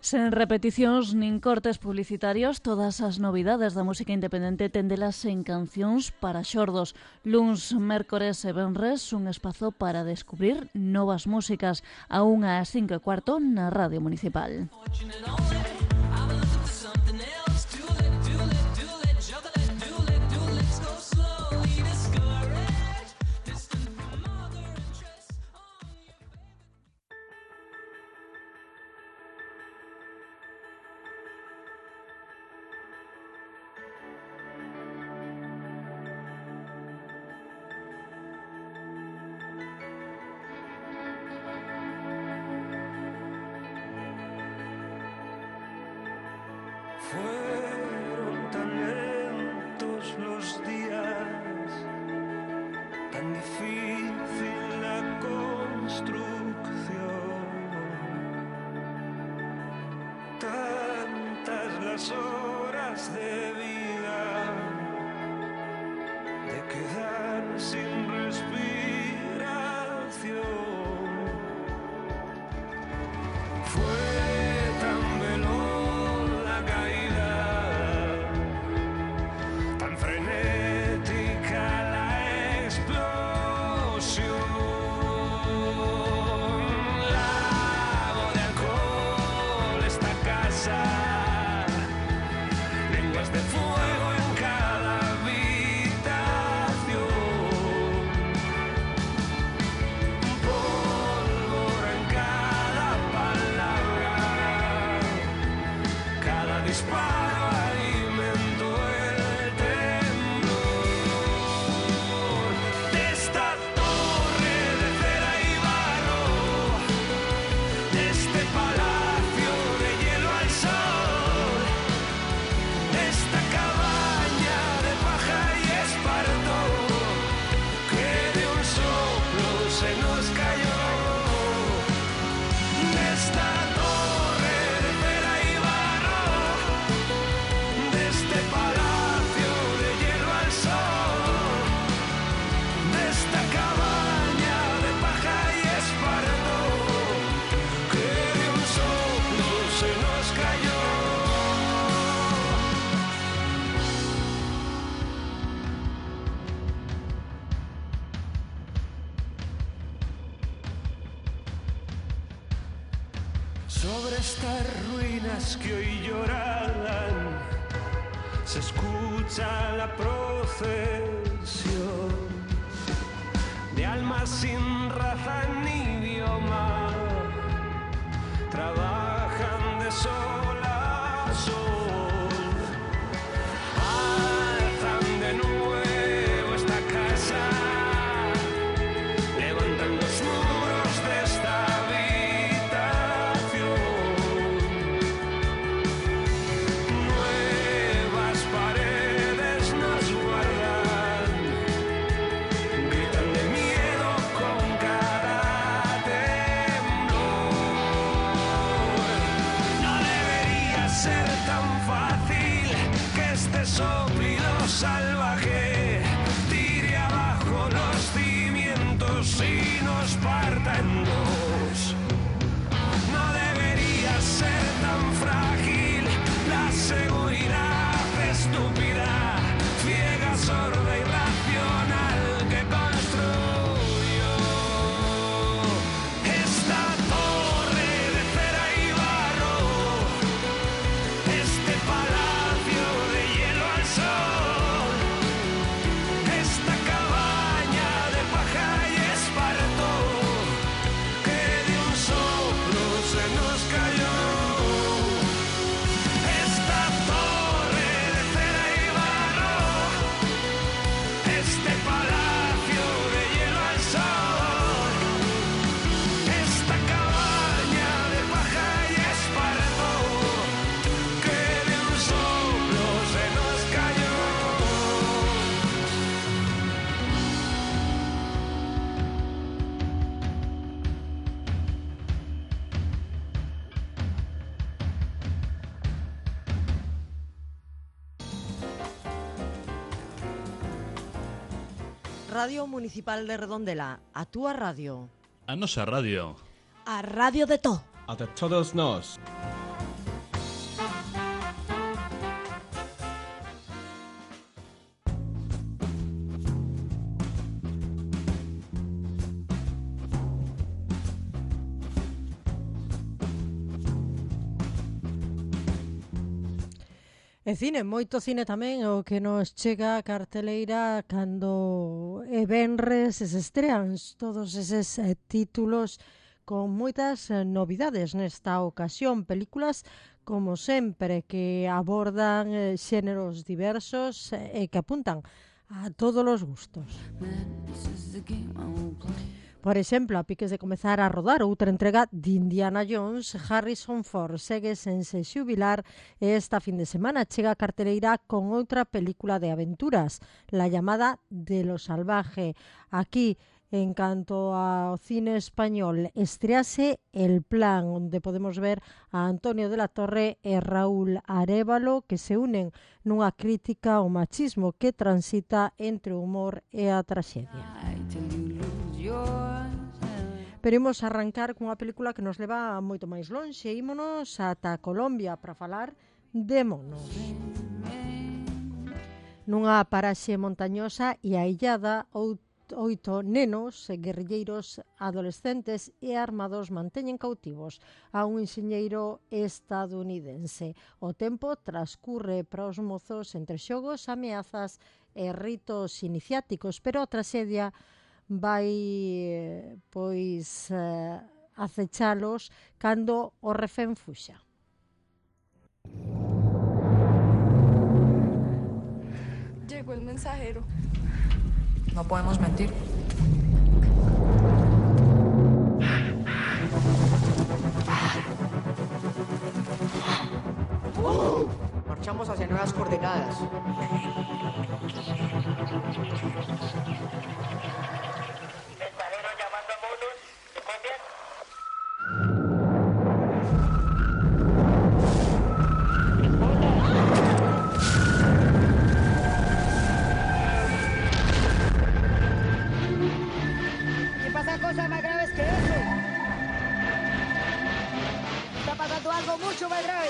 Sen repeticións nin cortes publicitarios, todas as novidades da música independente tendelas en Cancións para Xordos. Luns, mércores e venres, un espazo para descubrir novas músicas a unha ás cinco e cuarto na Radio Municipal. Fueron tan lentos los días, tan difícil la construcción, tantas las horas de vida Sobre estas ruinas que hoy lloran se escucha la procesión de almas sin raza ni idioma, trabajan de sol a sol, alzan de nuevo esta casa, levantan los muros de esta habitación, nuevas paredes nos guardan, gritan de miedo con cada temblor. No debería ser tan fácil que este soplido salvaje tire abajo los cimientos y nos parta en dos. No debería ser tan frágil la seguridad estúpida, ciega, sorda y racional que construyó esta torre de cera y barro, este palacio de hielo al sol, esta cabaña de paja y esparto que de un soplo se nos cayó. Esta torre de cera y barro, este palacio de hielo al sol, esta cabaña de paja y esparto que de un soplo se nos cayó. Radio Municipal de Redondela, a túa radio. A nosa radio. A radio de to. A de todos nós. E cine, moito cine tamén, o que nos chega a carteleira cando é venres se estrean todos eses eh, títulos con moitas eh, novidades nesta ocasión, películas como sempre que abordan eh, xéneros diversos e eh, que apuntan a todos os gustos. Por exemplo, a piques de comezar a rodar outra entrega de Indiana Jones, Harrison Ford segue sen se xubilar e esta fin de semana chega a carteleira con outra película de aventuras, La llamada de lo salvaje. Aquí, en canto ao cine español, estrease El plan, onde podemos ver a Antonio de la Torre e Raúl Arévalo que se unen nunha crítica ao machismo que transita entre o humor e a traxedia. Pero imos arrancar cunha película que nos leva moito máis lonxe. Ímonos ata Colombia para falar de monos. Nunha paraxe montañosa e aillada, oito nenos, guerrilleiros adolescentes e armados manteñen cautivos a un enxeñeiro estadounidense. O tempo transcurre para os mozos entre xogos, ameazas e ritos iniciáticos, pero a traxedia vai pois eh, acechalos cando o refén fuxa. Llegó el mensajero. No podemos mentir. Marchamos hacia nuevas coordenadas. Cosas más graves que eso. Está pasando algo mucho más grave.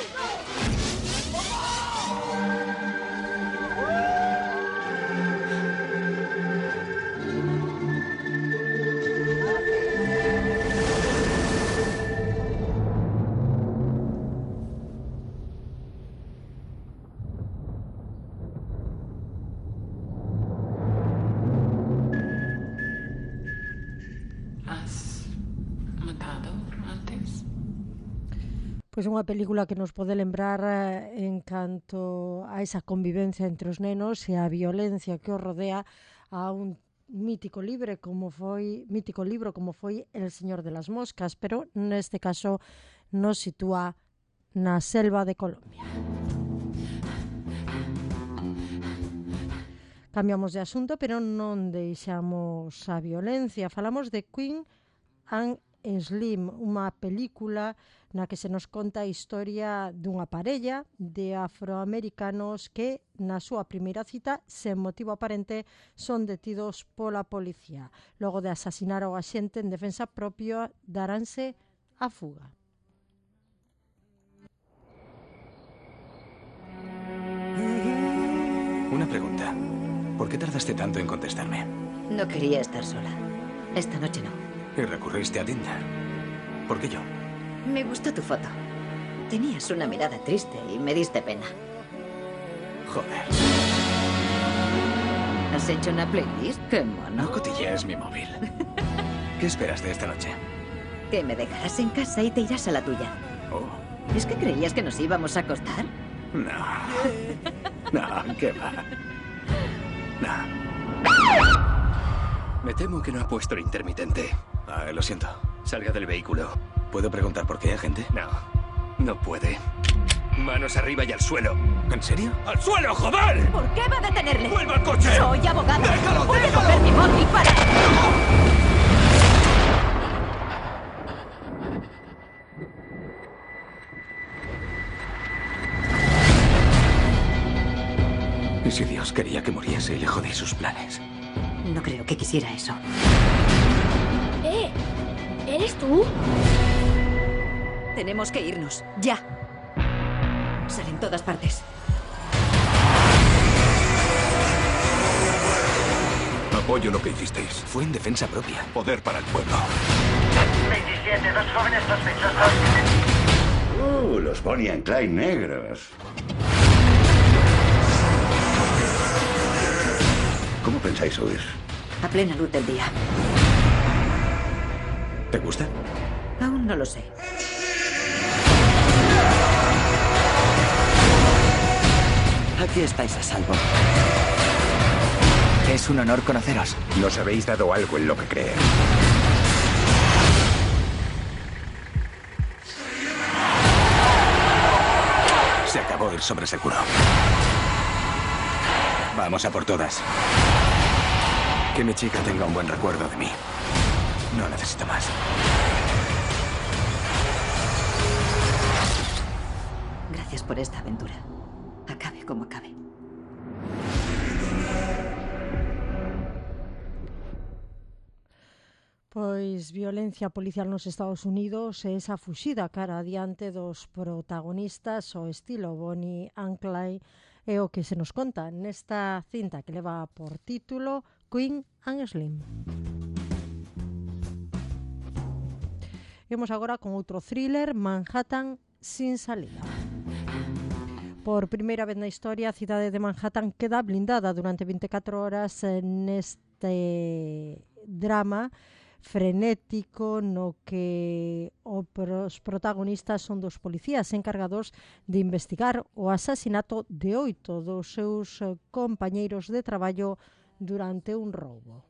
Pois é unha película que nos pode lembrar eh, en canto a esa convivencia entre os nenos e a violencia que os rodea a un mítico libro como foi mítico libro como foi El Señor de las Moscas, pero neste caso nos sitúa na selva de Colombia. Cambiamos de asunto, pero non deixamos a violencia. Falamos de Queen and Slim, unha película na que se nos conta a historia dunha parella de afroamericanos que na súa primeira cita, sen motivo aparente, son detidos pola policía. Logo de asasinar ao axente en defensa propia, daránse a fuga. Una pregunta. ¿Por qué tardaste tanto en contestarme? No quería estar sola. Esta noche no. Y recurriste a Tinder. ¿Por qué yo? Me gustó tu foto. Tenías una mirada triste y me diste pena. Joder. ¿Has hecho una playlist? ¡Qué mono! No cotillees mi móvil. ¿Qué esperas de esta noche? Que me dejarás en casa y te irás a la tuya. Oh. ¿Es que creías que nos íbamos a acostar? No. No, ¿qué va? No. Me temo que no ha puesto el intermitente. Ah, lo siento. Salga del vehículo. ¿Puedo preguntar por qué, agente? No. No puede. Manos arriba y al suelo. ¿En serio? ¡Al suelo, joder! ¿Por qué va a detenerle? ¡Vuelva al coche! Soy abogada. ¡Déjalo, Voy déjalo! a coger mi móvil para... ¿Y si Dios quería que muriese y le jodí sus planes? No creo que quisiera eso. ¡Eh! ¿Eres tú? Tenemos que irnos. ¡Ya! Sale en todas partes. Apoyo lo que hicisteis. Fue en defensa propia. Poder para el pueblo. veintisiete, dos jóvenes sospechosos. Uh, los Bonnie and Clyde negros. ¿Cómo pensáis huir? A plena luz del día. ¿Te gusta? Aún no lo sé. Aquí estáis a salvo. Es un honor conoceros. Nos habéis dado algo en lo que creer. Se acabó el sobreseguro. Vamos a por todas. Que mi chica tenga un buen recuerdo de mí. No necesito más. Gracias por esta aventura. Acabe como acabe. Pois violencia policial nos Estados Unidos e esa fuxida cara adiante dos protagonistas ao estilo Bonnie and Clyde é o que se nos conta nesta cinta que leva por título Queen and Slim. Vemos agora con outro thriller, Manhattan sin salida. Por primeira vez na historia, a cidade de Manhattan queda blindada durante veinticuatro horas neste drama frenético no que os protagonistas son dos policías encargados de investigar o asasinato de oito dos seus compañeiros de traballo durante un roubo.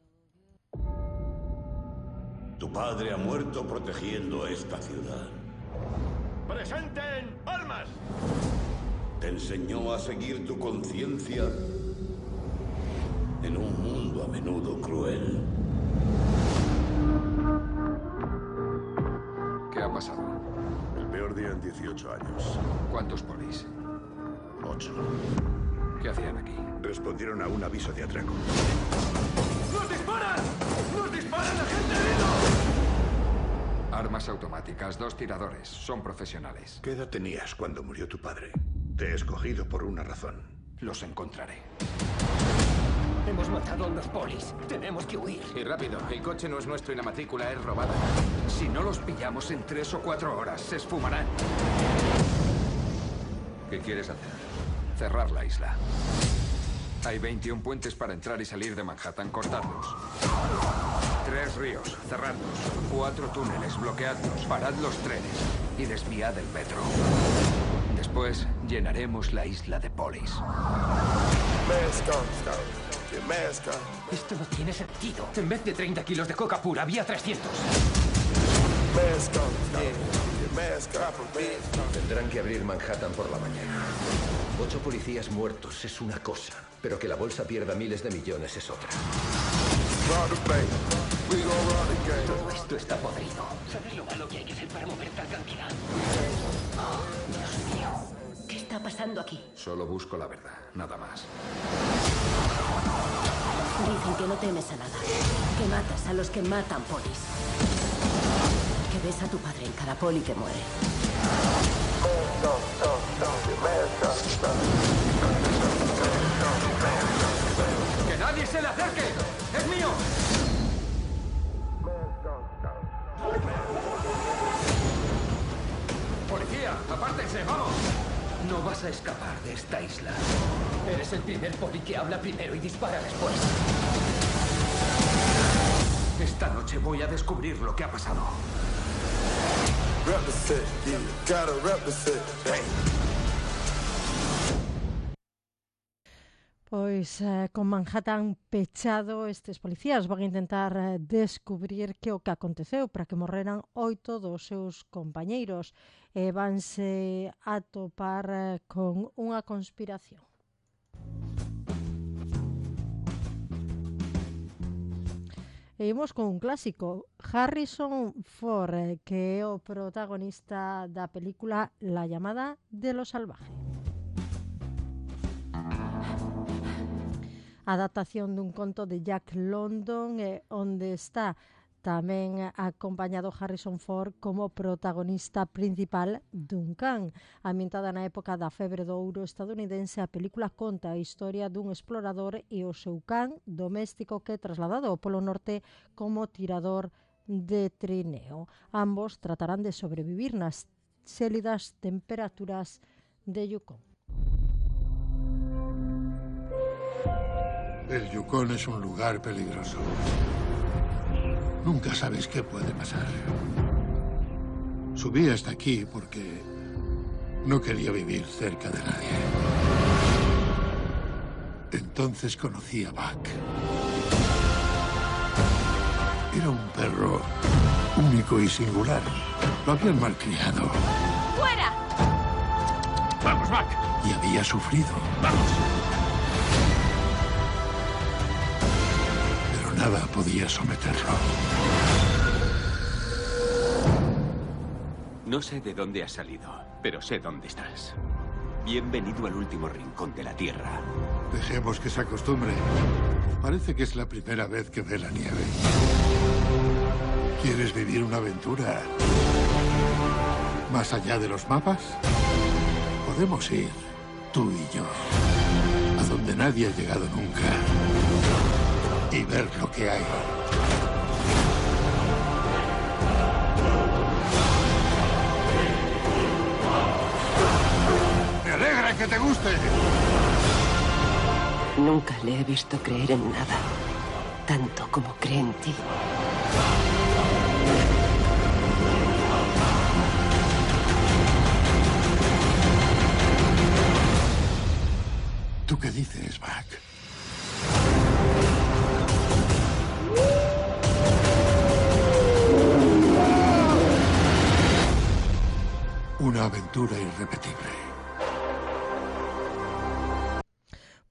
Tu padre ha muerto protegiendo esta ciudad. ¡Presenten armas! Te enseñó a seguir tu conciencia en un mundo a menudo cruel. ¿Qué ha pasado? El peor día en dieciocho años. ¿Cuántos polis? Ocho. ¿Qué hacían aquí? Respondieron a un aviso de atraco. ¡Nos disparan! ¡Nos disparan, agente herido! Armas automáticas, dos tiradores. Son profesionales. ¿Qué edad tenías cuando murió tu padre? Te he escogido por una razón. Los encontraré. Hemos matado a unos polis. Tenemos que huir. Y rápido. El coche no es nuestro y la matrícula es robada. Si no los pillamos en tres o cuatro horas, se esfumarán. ¿Qué quieres hacer? Cerrar la isla. Hay veintiún puentes para entrar y salir de Manhattan. Cortarlos. Tres ríos, cerradlos. Cuatro túneles, bloqueadlos. Parad los trenes y desviad el metro. Después llenaremos la isla de polis. Esto no tiene sentido. En vez de treinta kilos de coca pura, había trescientos. Tendrán que abrir Manhattan por la mañana. Ocho policías muertos es una cosa, pero que la bolsa pierda miles de millones es otra. Todo esto está podrido. ¿Sabes lo malo que hay que hacer para mover tal cantidad? Oh, Dios mío. ¿Qué está pasando aquí? Solo busco la verdad, nada más. Dicen que no temes a nada. Que matas a los que matan polis. Que ves a tu padre en cada poli que muere. ¡Que nadie se le acerque! ¡Es mío! ¡Policía! ¡Apártense! ¡Vamos! No vas a escapar de esta isla. Eres el primer poli que habla primero y dispara después. Esta noche voy a descubrir lo que ha pasado. Pois eh, con Manhattan pechado, estes policías van a intentar eh, descubrir que o que aconteceu para que morreran oito dos seus compañeiros e vanse a topar eh, con unha conspiración. E imos con un clásico, Harrison Ford, eh, que é o protagonista da película La llamada de lo salvaje. Adaptación dun conto de Jack London, eh, onde está tamén acompañado Harrison Ford como protagonista principal dun can. Ambientada na época da febre do ouro estadounidense, a película conta a historia dun explorador e o seu can doméstico que é trasladado ao Polo Norte como tirador de trineo. Ambos tratarán de sobrevivir nas xélidas temperaturas de Yukon. El Yukon es un lugar peligroso. Nunca sabes qué puede pasar. Subí hasta aquí porque no quería vivir cerca de nadie. Entonces conocí a Buck. Era un perro único y singular. Lo habían malcriado. ¡Fuera! ¡Vamos, Buck! Y había sufrido. ¡Vamos! Nada podía someterlo. No sé de dónde has salido, pero sé dónde estás. Bienvenido al último rincón de la Tierra. Dejemos que se acostumbre. Parece que es la primera vez que ve la nieve. ¿Quieres vivir una aventura más allá de los mapas? Podemos ir, tú y yo, a donde nadie ha llegado nunca. Y ver lo que hay. ¡Me alegra que te guste! Nunca le he visto creer en nada, tanto como cree en ti. ¿Tú qué dices, Buck? Una aventura irrepetible.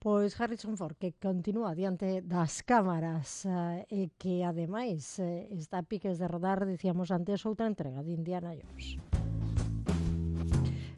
Pois Harrison Ford, que continúa diante das cámaras eh, e que ademais eh, está a piques de rodar, dicíamos antes, outra entrega de Indiana Jones.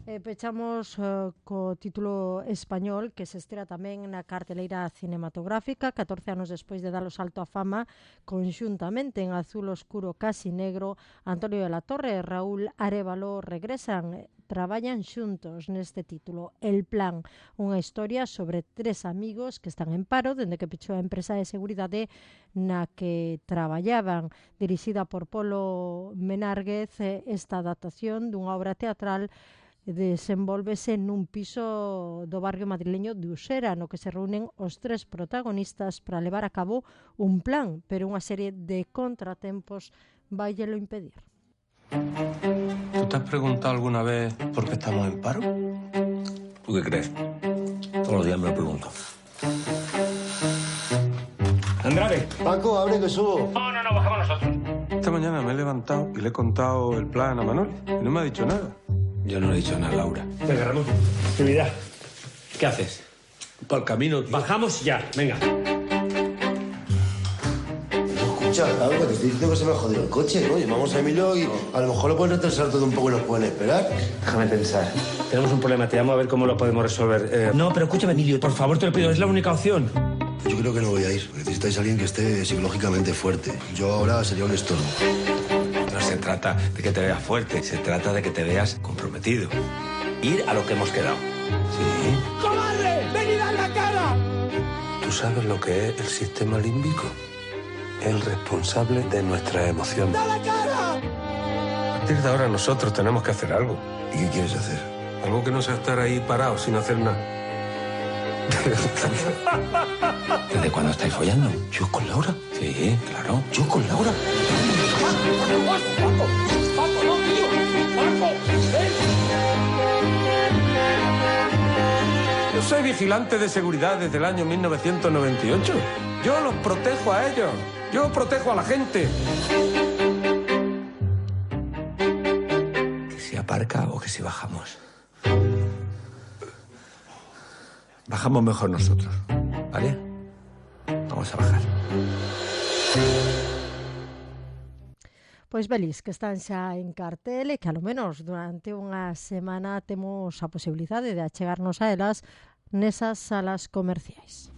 E pechamos uh, co título español que se estrea tamén na carteleira cinematográfica catorce anos despois de dar o salto á fama, conxuntamente en Azul Oscuro Casi Negro. Antonio de la Torre e Raúl Arévalo regresan, traballan xuntos neste título, El Plan, unha historia sobre tres amigos que están en paro dende que pechou a empresa de seguridade na que traballaban. Dirixida por Polo Menárguez, esta adaptación dunha obra teatral desenvolvese nun piso do barrio madrileño de Usera, no que se reúnen os tres protagonistas para levar a cabo un plan, pero unha serie de contratempos vaillelo impedir. ¿Tú te has preguntado alguna vez por qué estamos en paro? ¿Tú qué crees? Todos los días me lo pregunto. Andrade. Paco, abre que subo. No, no, no, bajamos nosotros. Esta mañana me he levantado y le he contado el plan a Manuel y no me ha dicho nada. Yo no le he dicho nada a Laura. Venga, Ramón. Actividad. ¿Qué haces? Por el camino. Bajamos ya, venga. Escucha, Laura, te estoy diciendo que se me ha jodido el coche, ¿no? Llamamos a Emilio y a lo mejor lo pueden retrasar todo un poco y nos pueden esperar. Déjame pensar. Tenemos un problema, te llamo a ver cómo lo podemos resolver. Eh... No, pero escúchame, Emilio, por favor, te lo pido, es la única opción. Yo creo que no voy a ir. Necesitáis a alguien que esté psicológicamente fuerte. Yo ahora sería un estorbo. No se trata de que te veas fuerte, se trata de que te veas comprometido. Ir a lo que hemos quedado. Sí. ¡Cobarde! ¡Venid a la cara! ¿Tú sabes lo que es el sistema límbico? El responsable de nuestras emociones. ¡Da la cara! A partir de ahora nosotros tenemos que hacer algo. ¿Y qué quieres hacer? Algo que no sea estar ahí parado sin hacer nada. ¿Desde cuándo estáis follando? ¿Yo con Laura? Sí, claro. ¿Yo con Laura? ¡Paco! ¡Paco, no, tío! ¡Paco! ¡Ven! Yo soy vigilante de seguridad desde el año mil novecientos noventa y ocho. Yo los protejo a ellos. Yo protejo a la gente. Que si aparca o que si bajamos. Bajamos mejor nosotros, ¿vale? Vamos a bajar. Pois velis que están xa en cartel e que a lo menos durante unha semana temos a posibilidade de achegarnos a elas nesas salas comerciais.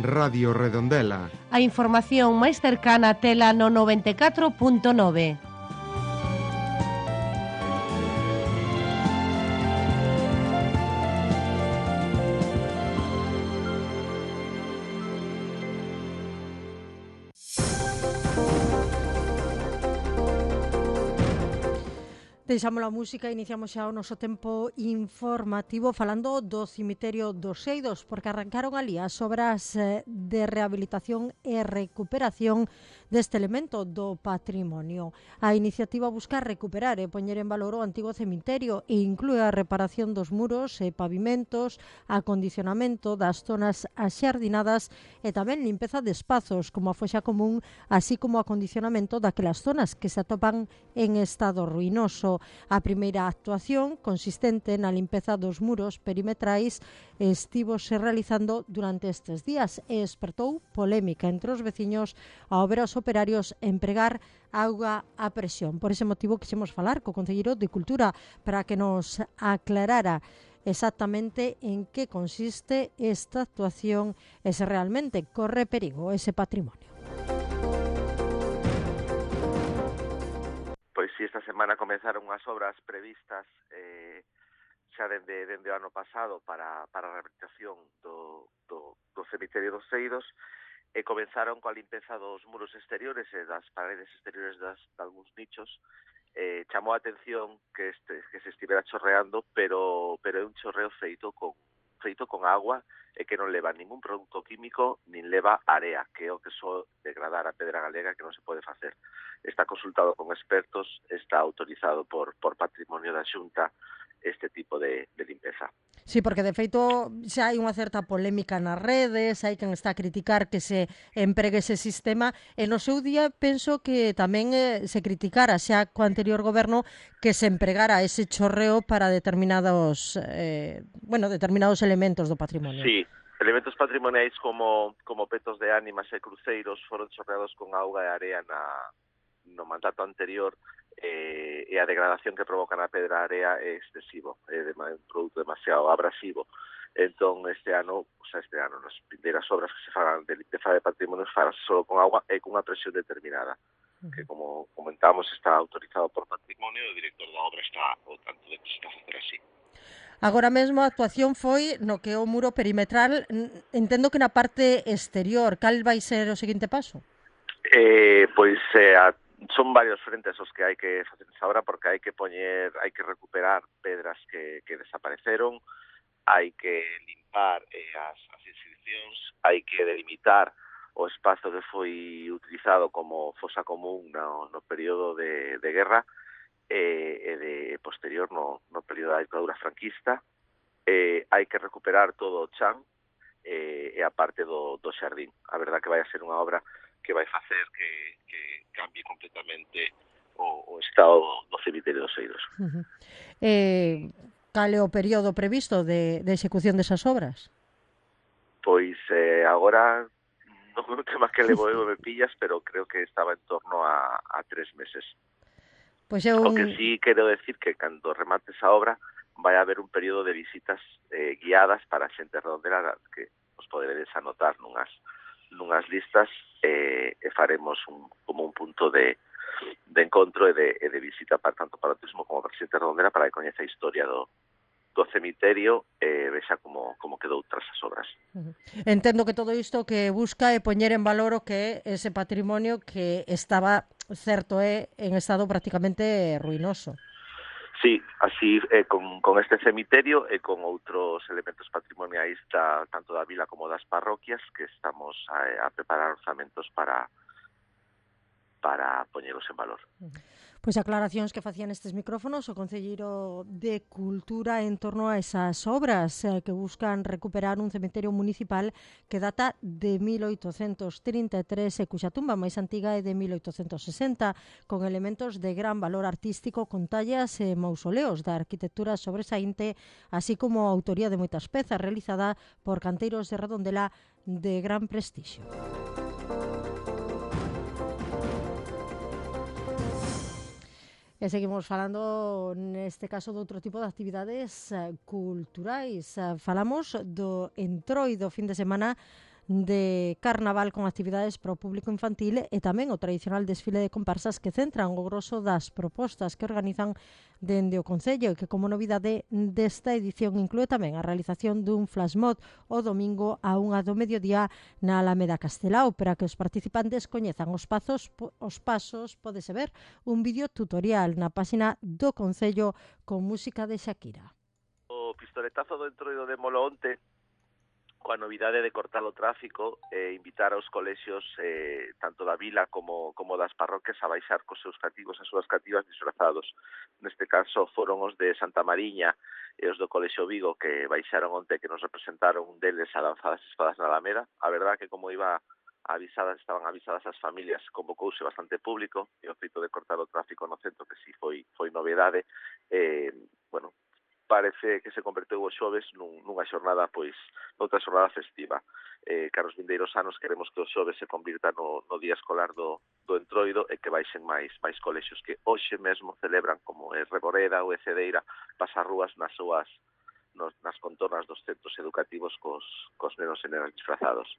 Radio Redondela. A información máis cercana tela no noventa e catro punto nove. Deixamos a música e iniciamos xa o noso tempo informativo falando do cemiterio dos Seidos, porque arrancaron ali as obras de rehabilitación e recuperación deste elemento do patrimonio. A iniciativa busca recuperar e poñer en valor o antigo cemiterio e inclúe a reparación dos muros e pavimentos, acondicionamento das zonas axardinadas e tamén limpeza de espazos como a foxa común, así como acondicionamento daquelas zonas que se atopan en estado ruinoso. A primeira actuación, consistente na limpeza dos muros perimetrais, estivose realizando durante estes días e despertou polémica entre os veciños ao ver aos operarios empregar auga a presión. Por ese motivo quixemos falar co concelleiro de Cultura para que nos aclarara exactamente en que consiste esta actuación e se realmente corre perigo ese patrimonio. Pois si, esta semana comenzaron as obras previstas eh, xa dende, dende o ano pasado para, para a rehabilitación do, do, do cemiterio dos Seidos e comenzaron coa limpeza dos muros exteriores e das paredes exteriores das, de algúns nichos. Eh, chamou a atención que, este, que se estivera chorreando, pero, pero é un chorreo feito con, feito con agua e que non leva ningún produto químico nin leva area, que é o que só degradar a pedra galega, que non se pode facer. Está consultado con expertos, está autorizado por, por Patrimonio da Xunta este tipo de, de limpeza. Sí, porque de feito xa hai unha certa polémica nas redes, hai quen está a criticar que se empregue ese sistema e no seu día penso que tamén eh, se criticara xa co anterior goberno que se empregara ese chorreo para determinados eh, bueno, determinados elementos do patrimonio. Sí, elementos patrimoniais como, como petos de ánimas e cruceiros foron chorreados con auga e area na, no mandato anterior eh, e a degradación que provoca na pedra area é excesivo, é de, un produto demasiado abrasivo. Entón, este ano, o sea, este ano, nas primeiras obras que se fagan de limpeza de patrimonio farase só con agua e con unha presión determinada, uh-huh. que, como comentamos, está autorizado por Patrimonio e o director da obra está ao tanto de que se está a facer así. Agora mesmo a actuación foi no que é o muro perimetral, entendo que na parte exterior. Cal vai ser o seguinte paso? Eh, pois eh, a son varios frentes os que hai que facer esa obra, porque hai que poñer, hai que recuperar pedras que, que desapareceron, hai que limpar eh, as, as inscripcións, hai que delimitar o espazo que foi utilizado como fosa común no, no período de, de guerra e, e de posterior no, no período da dictadura franquista. Eh, hai que recuperar todo o chan eh, e a parte do, do xardín. A verdad que vai a ser unha obra que vai facer que, que cambie completamente o, o estado do cemiterio dos Seidos. Uh-huh. Eh, cal é o período previsto de, de execución desas obras? Pois eh, agora non é un tema que levo eu me pillas, pero creo que estaba en torno a, a tres meses. Pois é un... O que sí quero decir que cando remate esa obra vai haber un período de visitas eh, guiadas para a xente redondela que os poderedes anotar nunhas nunhas listas e, e faremos un, como un punto de, de encontro e de, e de visita para tanto para o turismo como para a xente redondela para que coñeza a historia do, do cemiterio e vexa como, como quedou tras as obras. Uh-huh. Entendo que todo isto que busca é poñer en valor o que é ese patrimonio que estaba, certo é, en estado prácticamente ruinoso. Sí, así eh, con, con este cemiterio e con outros elementos patrimoniais da, tanto da vila como das parroquias que estamos a, a preparar orzamentos para para poñelos en valor. Pois aclaracións que facían estes micrófonos o concelleiro de Cultura en torno a esas obras eh, que buscan recuperar un cemiterio municipal que data de mil oitocentos trinta e tres e cuxa tumba máis antiga é de mil oitocentos sesenta, con elementos de gran valor artístico con tallas e mausoleos da arquitectura sobresaínte, así como a autoría de moitas pezas realizada por canteiros de Redondela de gran prestixio. E seguimos falando, neste caso, de outro tipo de actividades uh, culturais. Uh, falamos do entroido fin de semana de carnaval con actividades para o público infantil e tamén o tradicional desfile de comparsas que centran o grosso das propostas que organizan dende o Concello e que como novidade desta edición inclúe tamén a realización dun flash mob o domingo a unha do mediodía na Alameda Castelao. Para que os participantes coñezan os pasos, os pasos pódese ver un vídeo tutorial na páxina do Concello con música de Shakira. O pistoletazo do entroido de Moloonte coa novidade de cortar o tráfico e invitar aos colexios eh, tanto da vila como, como das parroquias a baixar cos seus cativos, as súas cativas disfrazados. Neste caso foron os de Santa Mariña e os do Colexio Vigo que baixaron onte, que nos representaron un deles a lanzadas espadas na Alameda. A verdad que como iba avisadas, estaban avisadas as familias, convocouse bastante público e o feito de cortar o tráfico no centro que si foi, foi novedade. Eh, bueno, parece que se converteu o xoves nun, nunha xornada, pois, noutra xornada festiva. Eh, caros vindeiros anos queremos que o xoves se convirta no, no día escolar do, do entroido e que baixen máis máis colexios que hoxe mesmo celebran, como é Reboreda ou é Cedeira, pasarrúas nas súas, nos, nas contornas dos centros educativos cos, cos nenos e nenas disfrazados.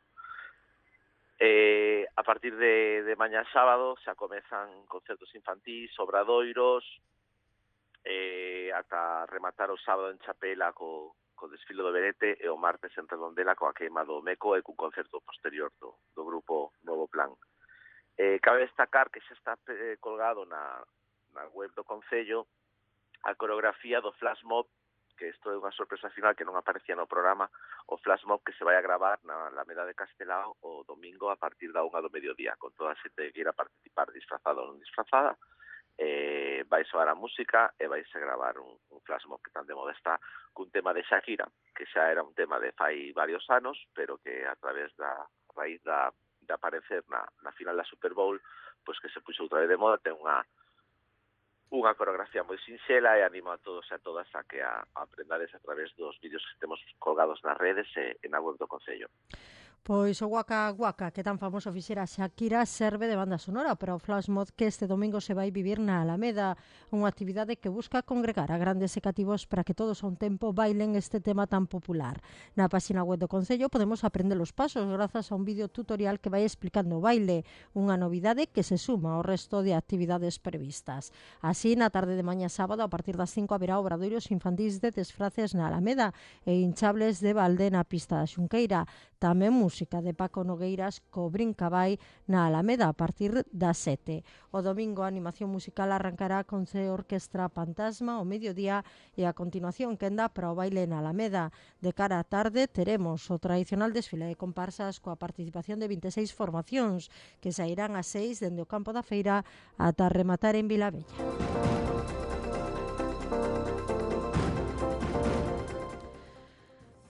Eh, a partir de, de mañá sábado xa comezan concertos infantís, obradoiros, eh, ata rematar o sábado en Chapela co, co desfile do Benete e o martes en Redondela coa queima do Meco e cun concerto posterior do, do grupo Novo Plan. Eh, cabe destacar que xa está eh, colgado na, na web do Concello a coreografía do flash mob, que isto é unha sorpresa final que non aparecía no programa, o flash mob que se vai a gravar na Alameda de Castelao o domingo a partir da unha do mediodía, con toda a xente que queira participar disfrazada ou non disfrazada. Eh, vai soar a música e vai se gravar un, un flash mob que tan de moda está cun tema de Shakira, que xa era un tema de fai varios anos, pero que a través da raíz da, de aparecer na, na final da Super Bowl, pois que se puxo outra vez de moda, ten unha unha coreografía moi sinxela e animo a todos e a todas a que a, a aprendades a través dos vídeos que temos colgados nas redes e, e na web do Concello. Pois o Waka Waka, que tan famoso fixera Shakira, serve de banda sonora para o flash mob que este domingo se vai vivir na Alameda, unha actividade que busca congregar a grandes e cativos para que todos a un tempo bailen este tema tan popular. Na páxina web do Concello podemos aprender os pasos grazas a un vídeo tutorial que vai explicando o baile, unha novidade que se suma ao resto de actividades previstas. Así, na tarde de mañá sábado, a partir das cinco haberá obradoiros infantís de disfraces na Alameda e hinchables de balde na pista da Xunqueira. Tamén música de Paco Nogueiras co Brincabay na Alameda a partir das sete. O domingo a animación musical arrancará con C Orquestra Fantasma ao mediodía e a continuación quenda para o baile na Alameda. De cara á tarde teremos o tradicional desfile de comparsas coa participación de vinte e seis formacións que sairán ás seis dende o campo da feira ata rematar en Vilavella.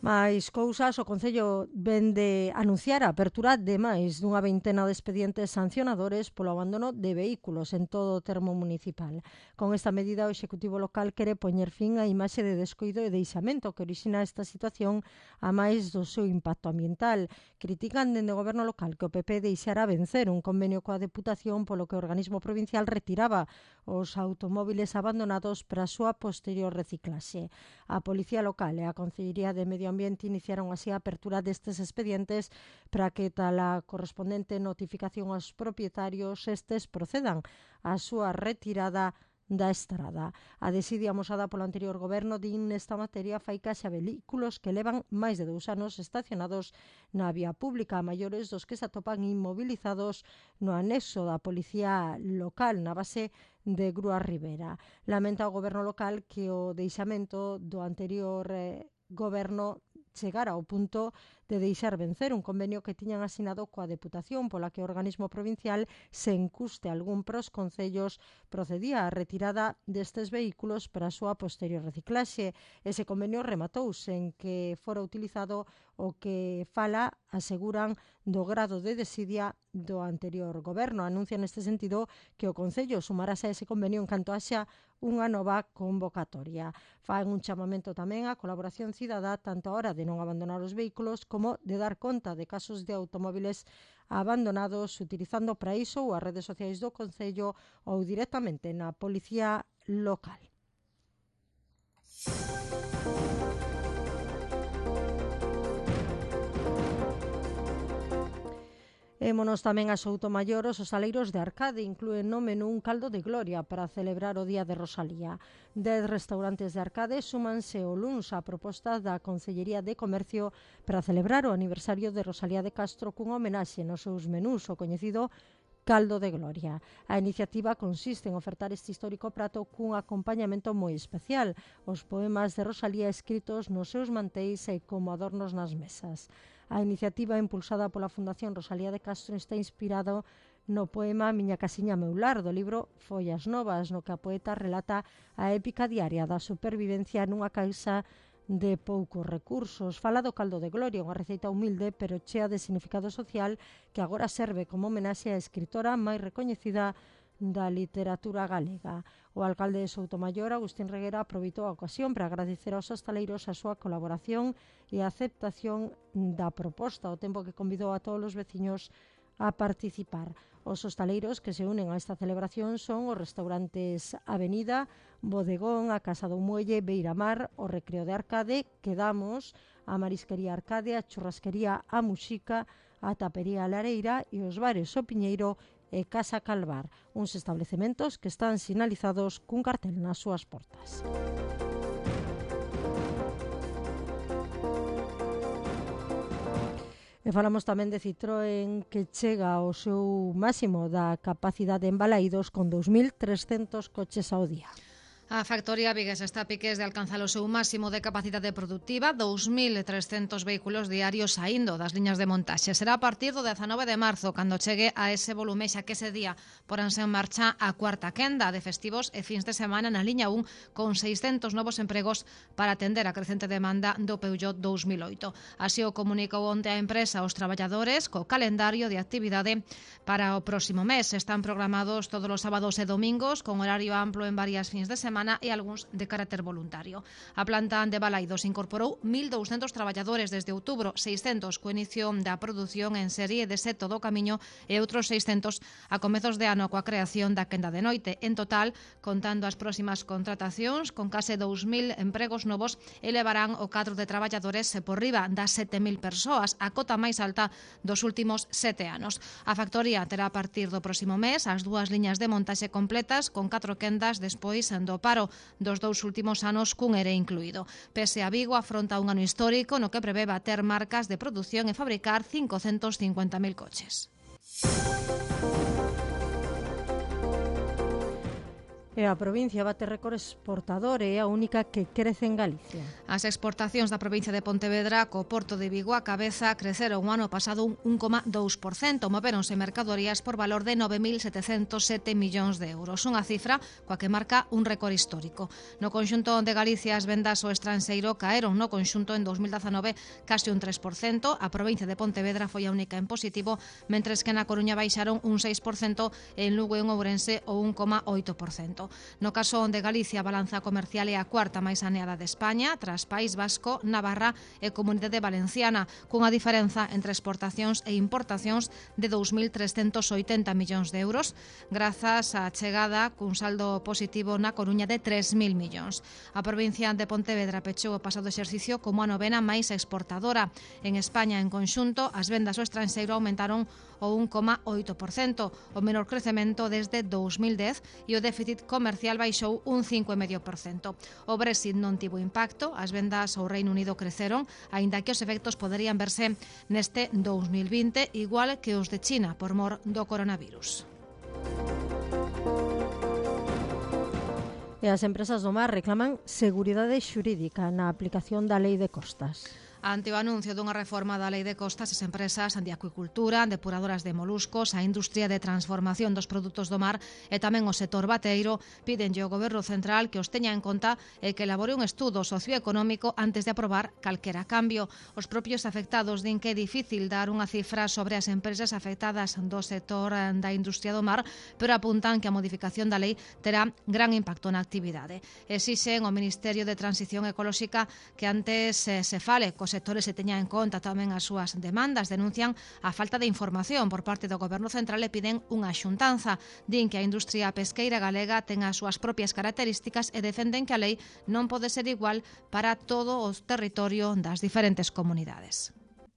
Mais cousas, o Concello vende anunciar a apertura de máis dunha veintena de expedientes sancionadores polo abandono de vehículos en todo o termo municipal. Con esta medida, o Executivo local quere poñer fin á imaxe de descoido e deixamento que orixina esta situación a máis do seu impacto ambiental. Critican dende o Goberno local que o P P deixara vencer un convenio coa Deputación polo que o organismo provincial retiraba os automóviles abandonados para a súa posterior reciclaxe. A Policía Local e a Consellería de Medio Ambiente iniciaron así a apertura destes expedientes para que tal a correspondente notificación aos propietarios estes procedan á súa retirada da estrada. A desidia amosada polo anterior goberno din nesta materia fai case a vehículos que levan máis de dous anos estacionados na vía pública, a maiores dos que se atopan inmovilizados no anexo da Policía Local na base de Grúa Ribera. Lamenta o goberno local que o deixamento do anterior eh, goberno chegar ao punto de deixar vencer un convenio que tiñan asinado coa Deputación pola que o organismo provincial, sen custe algún pros concellos, procedía á retirada destes vehículos para a súa posterior reciclaxe. Ese convenio rematou sen que fora utilizado o que fala, aseguran, do grado de desidia do anterior goberno. Anuncia neste sentido que o Concello sumarase a ese convenio en canto haxa unha nova convocatoria. Fan un chamamento tamén á colaboración cidadá tanto a hora de non abandonar os vehículos como de dar conta de casos de automóviles abandonados utilizando para iso ou as redes sociais do Concello ou directamente na Policía Local. Émonos tamén a Soutomaior. Os hostaleiros de Arcade inclúen no menú un caldo de gloria para celebrar o Día de Rosalía. Dez restaurantes de Arcade súmanse o luns á proposta da Consellería de Comercio para celebrar o aniversario de Rosalía de Castro cunha homenaxe nos seus menús, o coñecido caldo de gloria. A iniciativa consiste en ofertar este histórico prato cun acompañamento moi especial, os poemas de Rosalía escritos nos seus manteis e como adornos nas mesas. A iniciativa impulsada pola Fundación Rosalía de Castro está inspirado no poema Miña casiña meu lar, do libro Follas Novas, no que a poeta relata a épica diaria da supervivencia nunha casa de poucos recursos. Fala do caldo de gloria, unha receita humilde pero chea de significado social que agora serve como homenaxe á escritora máis recoñecida da literatura galega. O alcalde de Soutomaior, Agustín Reguera, aproveitou a ocasión para agradecer aos hostaleiros a súa colaboración e a aceptación da proposta, ao tempo que convidou a todos os veciños a participar. Os hostaleiros que se unen a esta celebración son os restaurantes Avenida, Bodegón, a Casa do Muelle, Beiramar, o Recreo de Arcade, Quedamos, a Marisquería Arcade, a Churrasquería A Muxica, a Tapería Lareira e os bares O Piñeiro e Casa Calvar, uns establecementos que están sinalizados cun cartel nas súas portas. E falamos tamén de Citroën, que chega ao seu máximo da capacidade en Balaídos con dous mil trescentos coches ao día. A factoría viguesa está a piques de alcanzar o seu máximo de capacidade produtiva, dous mil trescentos vehículos diarios saindo das liñas de montaxe. Será a partir do dezanove de marzo, cando chegue a ese volume, xa que ese día poránse en marcha a cuarta quenda de festivos e fins de semana na liña un, con seiscentos novos empregos para atender a crecente demanda do Peugeot dous mil oito. Así o comunicou onte a empresa aos traballadores co calendario de actividade para o próximo mes. Están programados todos os sábados e domingos, con horario amplo en varias fins de semana e algúns de carácter voluntario. A planta de Balaídos incorporou mil douscentos traballadores desde outubro, seiscentos co inicio da produción en serie de Seto do Camiño e outros seiscentos a comezos de ano coa creación da quenda de noite. En total, contando as próximas contratacións, con case dous mil empregos novos, elevarán o cadro de traballadores por riba das sete mil persoas, a cota máis alta dos últimos sete anos. A factoría terá a partir do próximo mes as dúas liñas de montaxe completas, con catro quendas despois do paro dos dous últimos anos cun ere incluído. Pese a Vigo afronta un ano histórico no que prevé bater marcas de produción e fabricar cincocentos cincuenta mil coches. E a provincia bate récord exportador e é a única que crece en Galicia. As exportacións da provincia de Pontevedra co Porto de Vigo a cabeza creceron o ano pasado un un coma dous por cento, moveronse mercadorías por valor de nove mil setecentos sete millóns de euros, unha cifra coa que marca un récord histórico. No conxunto de Galicia as vendas ao estranxeiro caeron no conxunto en dous mil dezanove case un tres por cento, a provincia de Pontevedra foi a única en positivo, mentres que na Coruña baixaron un seis por cento e en Lugo e en Ourense o un coma oito por cento. No caso onde Galicia, a balanza comercial é a cuarta máis saneada de España, tras País Vasco, Navarra e Comunidade Valenciana, cunha diferenza entre exportacións e importacións de dous mil trescentos oitenta millóns de euros, grazas á chegada cun saldo positivo na Coruña de tres mil millóns. A provincia de Pontevedra pechou o pasado exercicio como a novena máis exportadora. En España, en conxunto, as vendas ao estranxeiro aumentaron o un coma oito por cento, o menor crecemento desde dous mil dez, e o déficit comercial baixou un cinco coma cinco por cento. O Brexit non tivo impacto, as vendas ao Reino Unido creceron, aínda que os efectos poderían verse neste dous mil vinte, igual que os de China, por mor do coronavirus. E as empresas do mar reclaman seguridade xurídica na aplicación da Lei de Costas. Ante o anuncio dunha reforma da Lei de Costas, as empresas de acuicultura, depuradoras de moluscos, a industria de transformación dos produtos do mar e tamén o sector bateiro pídenlle ao Goberno Central que os teña en conta e que elabore un estudo socioeconómico antes de aprobar calquera cambio. Os propios afectados din que é difícil dar unha cifra sobre as empresas afectadas do sector da industria do mar, pero apuntan que a modificación da lei terá gran impacto na actividade. Exixen ao Ministerio de Transición Ecolóxica que antes eh, se fale cos sectores se teña en conta tamén as súas demandas, denuncian a falta de información por parte do Goberno Central e piden unha xuntanza. Din que a industria pesqueira galega ten as súas propias características e defenden que a lei non pode ser igual para todo o territorio das diferentes comunidades.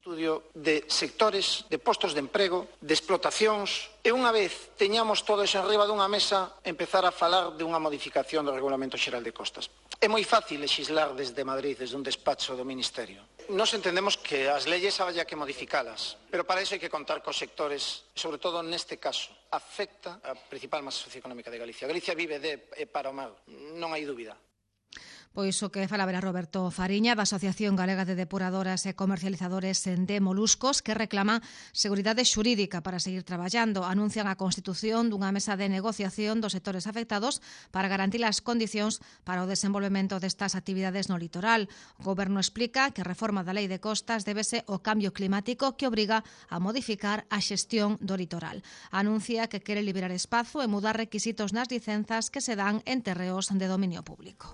Estudio de sectores, de postos de emprego, de explotacións, e unha vez teñamos todo eso enriba dunha mesa, empezar a falar de unha modificación do Regulamento Xeral de Costas. É moi fácil legislar desde Madrid, desde un despacho do Ministerio. Nos entendemos que as leyes había que modificalas, pero para iso hai que contar cos sectores, sobre todo neste caso, afecta a principal masa socioeconómica de Galicia. Galicia vive de e para o mal, non hai dúbida. Pois o que falaba era Roberto Fariña, da Asociación Galega de Depuradoras e Comercializadores de Moluscos, que reclama seguridade xurídica para seguir traballando. Anuncian a constitución dunha mesa de negociación dos sectores afectados para garantir as condicións para o desenvolvemento destas actividades no litoral. O Goberno explica que a reforma da Lei de Costas débese ao cambio climático que obriga a modificar a xestión do litoral. Anuncia que quere liberar espazo e mudar requisitos nas licenzas que se dan en terreos de dominio público.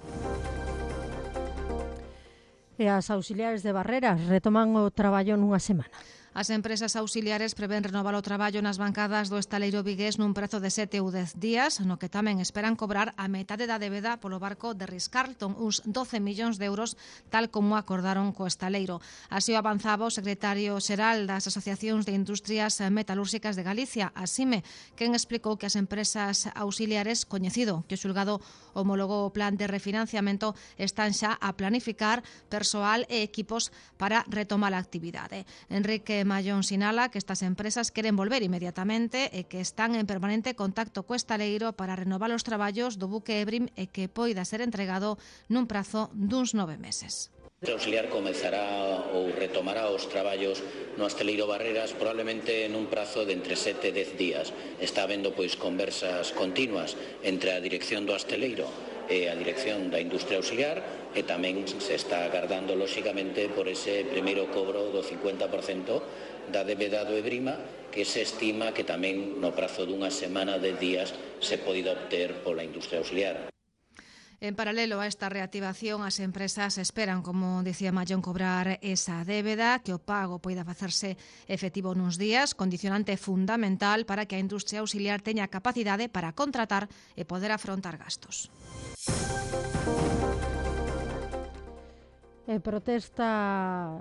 E as auxiliares de Barreras retoman o traballo nunha semana. As empresas auxiliares prevén renovar o traballo nas bancadas do estaleiro vigués nun prazo de sete ou dez días, no que tamén esperan cobrar a metade da débeda polo barco de Ritz-Carlton, uns doce millóns de euros, tal como acordaron co estaleiro. Así o avanzaba o secretario xeral das Asociacións de Industrias Metalúrxicas de Galicia, ASIME, quen explicou que as empresas auxiliares, coñecido que o xulgado homologou o plan de refinanciamento, están xa a planificar persoal e equipos para retomar a actividade. Enrique Mallón sinala que estas empresas queren volver inmediatamente e que están en permanente contacto co estaleiro para renovar os traballos do buque Ebrim e que poida ser entregado nun prazo duns nove meses. O auxiliar comezará ou retomará os traballos no asteleiro Barreras probablemente nun prazo de entre sete e dez días. Está habendo pois conversas continuas entre a dirección do asteleiro e a dirección da industria auxiliar e tamén se está agardando lóxicamente por ese primeiro cobro do cincuenta por cento da débeda do Ebrima, que se estima que tamén no prazo dunha semana de días se poida obter pola industria auxiliar. En paralelo a esta reactivación, as empresas esperan, como dicía Mallón, cobrar esa débeda, que o pago poida facerse efectivo nuns días, condicionante fundamental para que a industria auxiliar teña capacidade para contratar e poder afrontar gastos. E protesta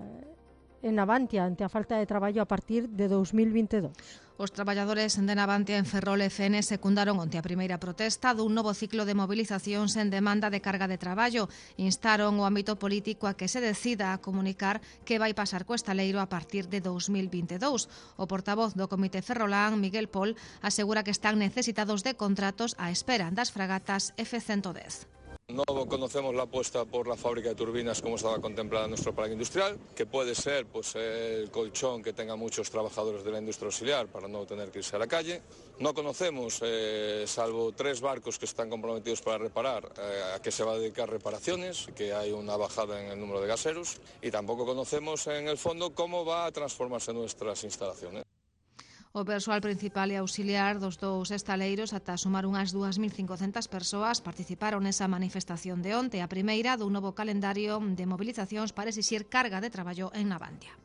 en Navantia ante a falta de traballo a partir de dous mil vinte e dous. Os traballadores de Navantia en Ferrol F N secundaron onte a primeira protesta dun novo ciclo de movilizacións en demanda de carga de traballo. Instaron o ámbito político a que se decida a comunicar que vai pasar co estaleiro a partir de dous mil vinte e dous. O portavoz do Comité Ferrolán, Miguel Pol, asegura que están necesitados de contratos á espera das fragatas F ciento dez. No conocemos la apuesta por la fábrica de turbinas como estaba contemplada en nuestro plan industrial, que puede ser pues, el colchón que tengan muchos trabajadores de la industria auxiliar para no tener que irse a la calle. No conocemos, eh, salvo tres barcos que están comprometidos para reparar, eh, a qué se va a dedicar reparaciones, que hay una bajada en el número de gaseros, y tampoco conocemos en el fondo cómo va a transformarse nuestras instalaciones. O persoal principal e auxiliar dos dous estaleiros, ata sumar unhas dúas mil cincocentas persoas, participaron nesa manifestación de onte, a primeira dun novo calendario de movilizacións para exixir carga de traballo en Navantia.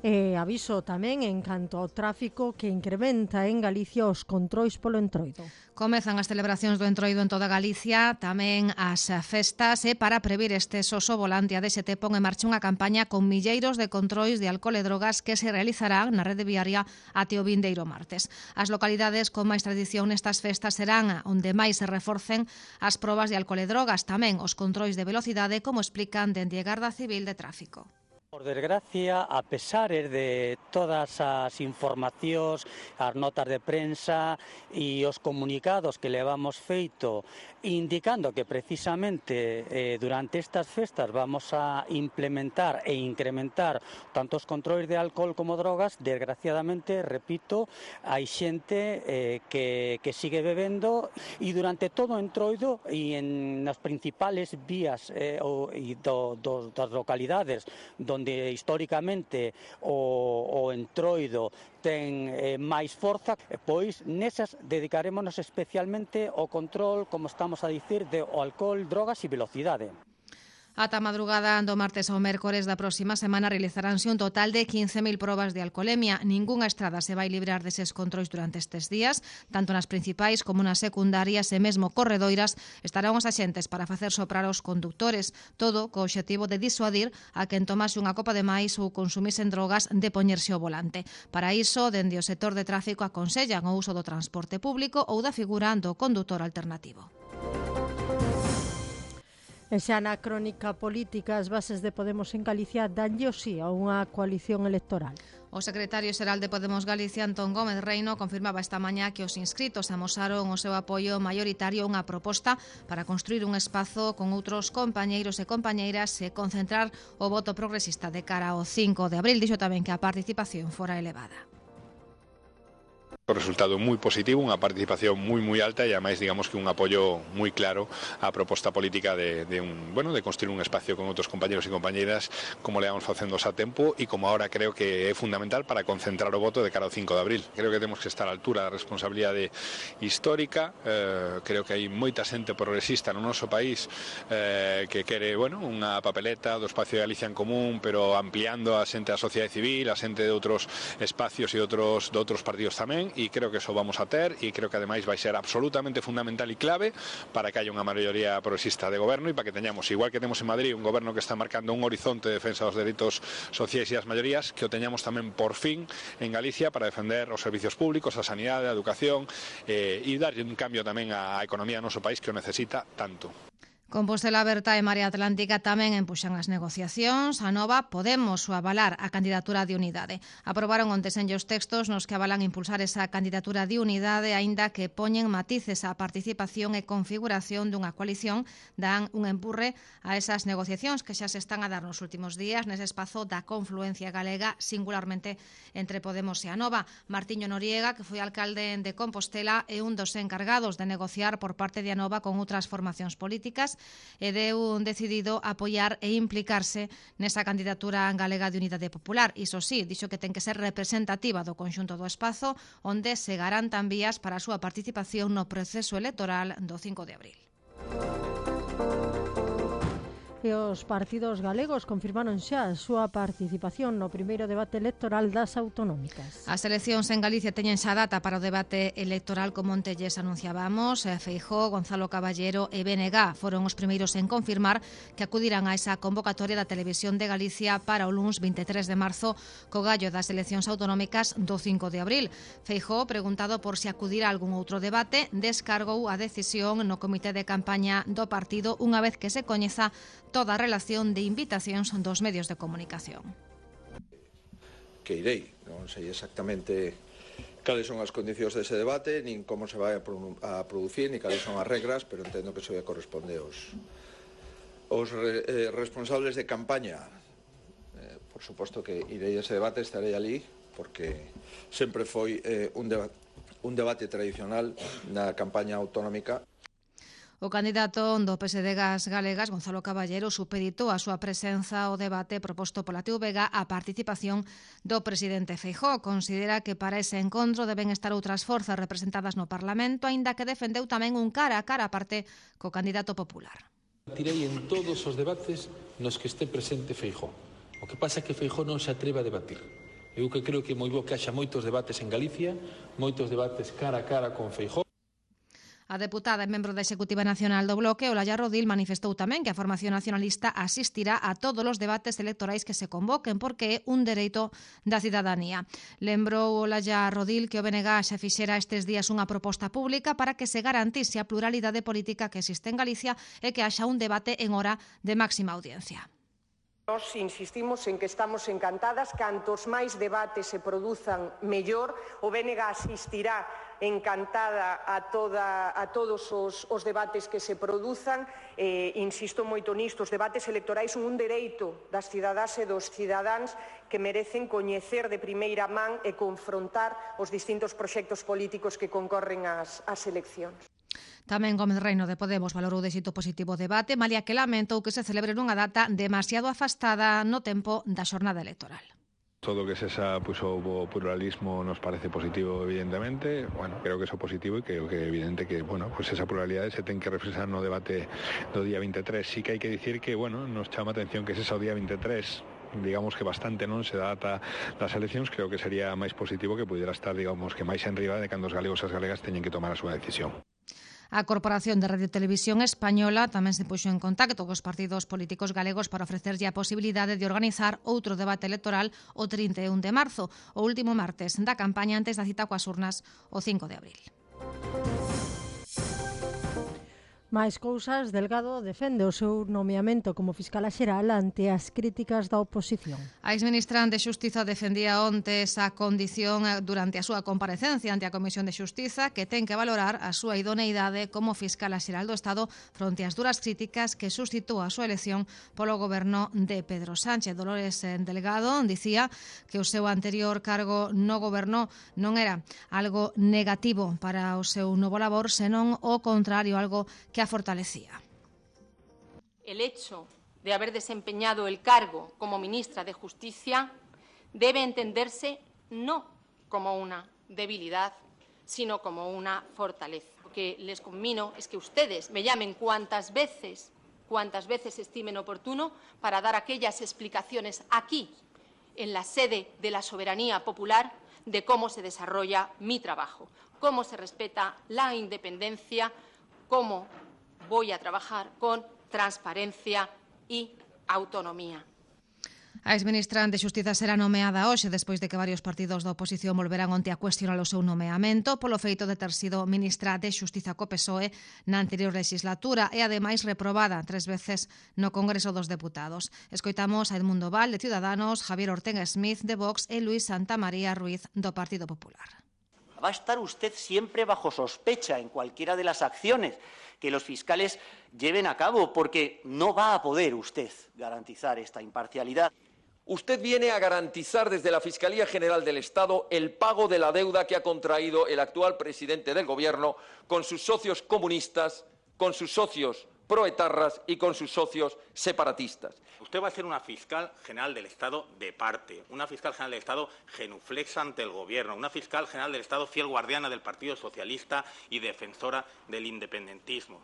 E aviso tamén en canto ao tráfico que incrementa en Galicia os controis polo entroido. Comezan as celebracións do entroido en toda Galicia, tamén as festas, e para previr este soso volante a D S T pon en marcha unha campaña con milleiros de controis de alcohol e drogas que se realizarán na rede viaria até o vindeiro martes. As localidades con máis tradición nestas festas serán onde máis se reforcen as probas de alcohol e drogas, tamén os controis de velocidade, como explican dende a Garda Civil de Tráfico. Por desgracia, a pesar de todas as informacións, as notas de prensa e os comunicados que levamos feito indicando que precisamente eh, durante estas festas vamos a implementar e incrementar tanto os controis de alcohol como drogas, desgraciadamente, repito, hai xente eh, que, que sigue bebendo e durante todo o entroido e en as principales vías eh, o, e do, do, das localidades onde históricamente o, o entroido ten eh, máis forza, pois nesas dedicarémonos especialmente ao control, como estamos a dicir, de o alcohol, drogas e velocidade. Ata madrugada do martes ao mércores da próxima semana realizaránse un total de quince mil probas de alcolemia. Ningunha estrada se vai librar deses controis durante estes días, tanto nas principais como nas secundarias e mesmo corredoiras estarán os axentes para facer soprar os condutores, todo co obxectivo de disuadir a quen tomase unha copa de máis ou consumisen drogas de poñerse ao volante. Para iso, dende o sector de tráfico aconsellan o uso do transporte público ou da figura do condutor alternativo. E xa na crónica política, as bases de Podemos en Galicia danlle o sí a unha coalición electoral. O secretario xeral de Podemos Galicia, Antón Gómez Reino, confirmaba esta mañá que os inscritos amosaron o seu apoio maioritario a unha proposta para construir un espazo con outros compañeiros e compañeiras e concentrar o voto progresista de cara ao cinco de abril. Dixo tamén que a participación fora elevada. Un resultado moi positivo, unha participación moi moi alta e ademais digamos que un apoio moi claro á proposta política de, de un, bueno, de construir un espacio con outros compañeros e compañeras como le vamos facendo a tempo e como ahora creo que é fundamental para concentrar o voto de cara ao cinco de abril. Creo que temos que estar á altura da responsabilidade histórica, eh, creo que hai moita xente progresista no noso país eh, que quere, bueno, unha papeleta do espacio de Galicia en común, pero ampliando a xente da sociedade civil, a xente de outros espacios e outros de outros partidos tamén. E creo que eso vamos a ter e creo que ademais vai ser absolutamente fundamental e clave para que haya unha maioría progresista de goberno e para que teñamos, igual que temos en Madrid, un goberno que está marcando un horizonte de defensa dos dereitos sociais e das maiorías, que o teñamos tamén por fin en Galicia para defender os servicios públicos, a sanidade, a educación eh, e darlle un cambio tamén á economía do noso país que o necesita tanto. Compostela Aberta e Marea Atlántica tamén empuxan as negociacións. A Nova Podemos o avalar a candidatura de Unidade. Aprobaron onte sen os textos nos que avalan impulsar esa candidatura de Unidade, aínda que poñen matices á participación e configuración dunha coalición, dan un empurre a esas negociacións que xa se están a dar nos últimos días nese espazo da confluencia galega, singularmente entre Podemos e a Nova. Martiño Noriega, que foi alcalde de Compostela, é un dos encargados de negociar por parte de a Nova con outras formacións políticas e deu un decidido apoiar e implicarse nesa candidatura galega de Unidade Popular. Iso sí, dixo que ten que ser representativa do conxunto do espazo, onde se garantan vías para a súa participación no proceso electoral do cinco de abril. E os partidos galegos confirmaron xa a súa participación no primeiro debate electoral das autonómicas. As eleccións en Galicia teñen xa data para o debate electoral, como onte lles anunciábamos. Feijóo, Gonzalo Caballero e B N G foron os primeiros en confirmar que acudirán a esa convocatoria da Televisión de Galicia para o luns veintitrés de marzo co gallo das eleccións autonómicas do cinco de abril. Feijóo, preguntado por se acudirá a algún outro debate, descargou a decisión no comité de campaña do partido unha vez que se coñeza toda a relación de invitacións dos medios de comunicación. Que irei, non sei exactamente cales son as condicións dese debate, nin como se vai a, a producir, nin cales son as regras, pero entendo que iso ya corresponde aos, aos re, eh, responsables de campaña. Eh, por suposto que irei a ese debate, estarei ali, porque sempre foi eh, un, deba un debate tradicional na campaña autonómica. O candidato do P S D Gas Galegas, Gonzalo Caballero, supeditou a súa presenza ao debate proposto pola T V G a participación do presidente Feijóo. Considera que para ese encontro deben estar outras forzas representadas no Parlamento, aínda que defendeu tamén un cara a cara aparte co candidato popular. Tirei en todos os debates nos que este presente Feijóo. O que pasa é que Feijóo non se atreve a debatir. Eu que creo que é moi bo que haxa moitos debates en Galicia, moitos debates cara a cara con Feijóo. A deputada e membro da Executiva Nacional do Bloque, Olalla Rodil, manifestou tamén que a formación nacionalista asistirá a todos os debates electorais que se convoquen porque é un dereito da cidadanía. Lembrou Olalla Rodil que o B N G xa fixera estes días unha proposta pública para que se garantise a pluralidade política que existe en Galicia e que haxa un debate en hora de máxima audiencia. Nos insistimos en que estamos encantadas, cantos máis debates se produzan mellor, o B N G asistirá encantada a, toda, a todos os, os debates que se produzan. Eh, insisto moito nisto, os debates electorais son un dereito das cidadás e dos cidadáns que merecen coñecer de primeira man e confrontar os distintos proxectos políticos que concorren ás, ás eleccións. Tamén Gómez Reino de Podemos valorou de xeito positivo o debate, malia que lamentou que se celebre nunha data demasiado afastada no tempo da xornada electoral. Todo que esa pues, o pluralismo nos parece positivo, evidentemente. Bueno, creo que eso é positivo e creo que é evidente que, bueno, pues esa pluralidade se ten que reflexar no debate do día veintitrés. Sí que hai que dicir que, bueno, nos chama a atención que ese o día veintitrés, digamos que bastante non se data das eleccións, creo que sería máis positivo que pudera estar, digamos, que máis enriba de cando os galegos e as galegas teñen que tomar a súa decisión. A Corporación de Radio e Televisión Española tamén se puxo en contacto cos partidos políticos galegos para ofrecerlle a posibilidade de organizar outro debate electoral o trinta e un de marzo, o último martes da campaña antes da cita coas urnas o cinco de abril. Máis cousas, Delgado defende o seu nomeamento como fiscal xeral ante as críticas da oposición. A exministra de Xustiza defendía onte esa condición durante a súa comparecencia ante a Comisión de Xustiza, que ten que valorar a súa idoneidade como fiscal xeral do Estado fronte ás duras críticas que suscitou a súa elección polo goberno de Pedro Sánchez. Dolores Delgado dicía que o seu anterior cargo no goberno non era algo negativo para o seu novo labor, senón o contrario, algo que a fortalecía. El hecho de haber desempeñado el cargo como ministra de Justicia debe entenderse no como una debilidad, sino como una fortaleza. Lo que les conmino es que ustedes me llamen cuantas veces, cuantas veces estimen oportuno para dar aquellas explicaciones aquí, en la sede de la soberanía popular, de cómo se desarrolla mi trabajo, cómo se respeta la independencia, cómo voy a trabajar con transparencia y autonomía. A exministra de Xustiza será nomeada hoxe despois de que varios partidos da oposición volveran onte a cuestionar o seu nomeamento polo feito de ter sido ministra de Xustiza co P S O E na anterior legislatura e ademais reprobada tres veces no Congreso dos Deputados. Escoitamos a Edmundo Val de Ciudadanos, Javier Ortega Smith de Vox e Luis Santamaría Ruiz do Partido Popular. Va a estar usted siempre bajo sospecha en cualquiera de las acciones que los fiscales lleven a cabo, porque no va a poder usted garantizar esta imparcialidad. Usted viene a garantizar desde la Fiscalía General del Estado el pago de la deuda que ha contraído el actual presidente del Gobierno con sus socios comunistas, con sus socios proetarras y con sus socios separatistas. Usted va a ser una fiscal general del Estado de parte, una fiscal general del Estado genuflexa ante el Gobierno, una fiscal general del Estado fiel guardiana del Partido Socialista y defensora del independentismo.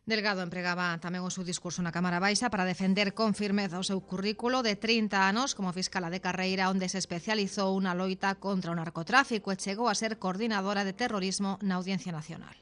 Delgado empregaba tamén o seu discurso na Cámara Baixa para defender con firmeza o seu currículo de trinta anos como fiscala de carreira, onde se especializou na loita contra o narcotráfico e chegou a ser coordinadora de terrorismo na Audiencia Nacional.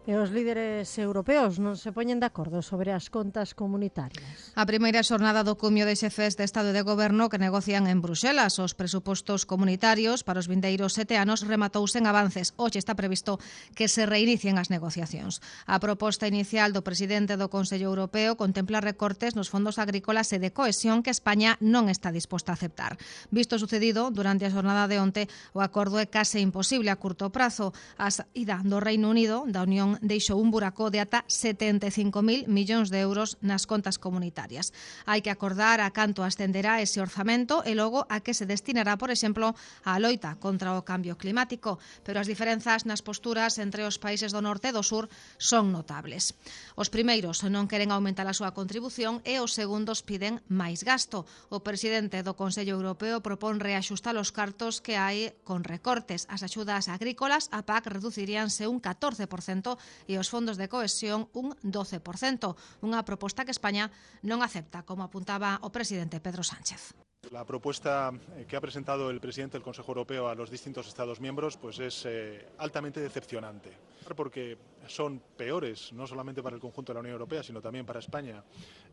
E os líderes europeos non se poñen de acordo sobre as contas comunitarias. A primeira xornada do cumio de xefes de Estado e de Goberno que negocian en Bruxelas os presupostos comunitarios para os vindeiros sete anos rematouse en avances. Hoxe está previsto que se reinicien as negociacións. A proposta inicial do presidente do Consello Europeo contempla recortes nos fondos agrícolas e de cohesión que España non está disposta a aceptar. Visto o sucedido durante a xornada de onte, o acordo é case imposible a curto prazo. A saída do Reino Unido da Unión deixou un buraco de ata setenta e cinco mil millóns de euros nas contas comunitarias. Hai que acordar a canto ascenderá ese orzamento e logo a que se destinará, por exemplo, á loita contra o cambio climático, pero as diferenzas nas posturas entre os países do norte e do sur son notables. Os primeiros non queren aumentar a súa contribución e os segundos piden máis gasto. O presidente do Consello Europeo propón reaxustar os cartos que hai con recortes. As axudas agrícolas, a P A C, reduciríanse un catorce por cento e os fondos de cohesión un doce por cento, unha proposta que España non acepta, como apuntaba o presidente Pedro Sánchez. La propuesta que ha presentado el presidente del Consejo Europeo a los distintos Estados miembros pues es eh, altamente decepcionante, porque son peores, no solamente para el conjunto de la Unión Europea, sino también para España,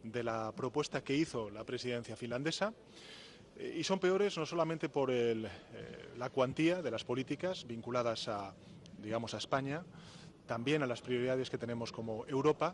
de la propuesta que hizo la presidencia finlandesa. Y son peores no solamente por el, eh, la cuantía de las políticas vinculadas a, digamos, a España, también a las prioridades que tenemos como Europa.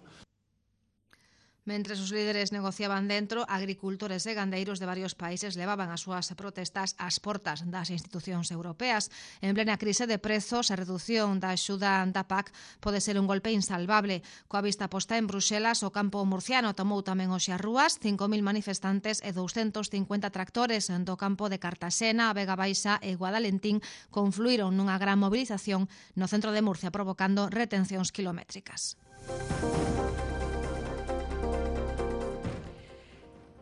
Mentres os líderes negociaban dentro, agricultores e gandeiros de varios países levaban as súas protestas ás portas das institucións europeas. En plena crise de prezos, a redución da axuda da P A C pode ser un golpe insalvable. Coa vista posta en Bruxelas, o campo murciano tomou tamén hoxe as rúas. cinco mil manifestantes e douscentos cincuenta tractores do campo de Cartaxena, a Vega Baixa e Guadalentín confluíron nunha gran movilización no centro de Murcia, provocando retencións kilométricas.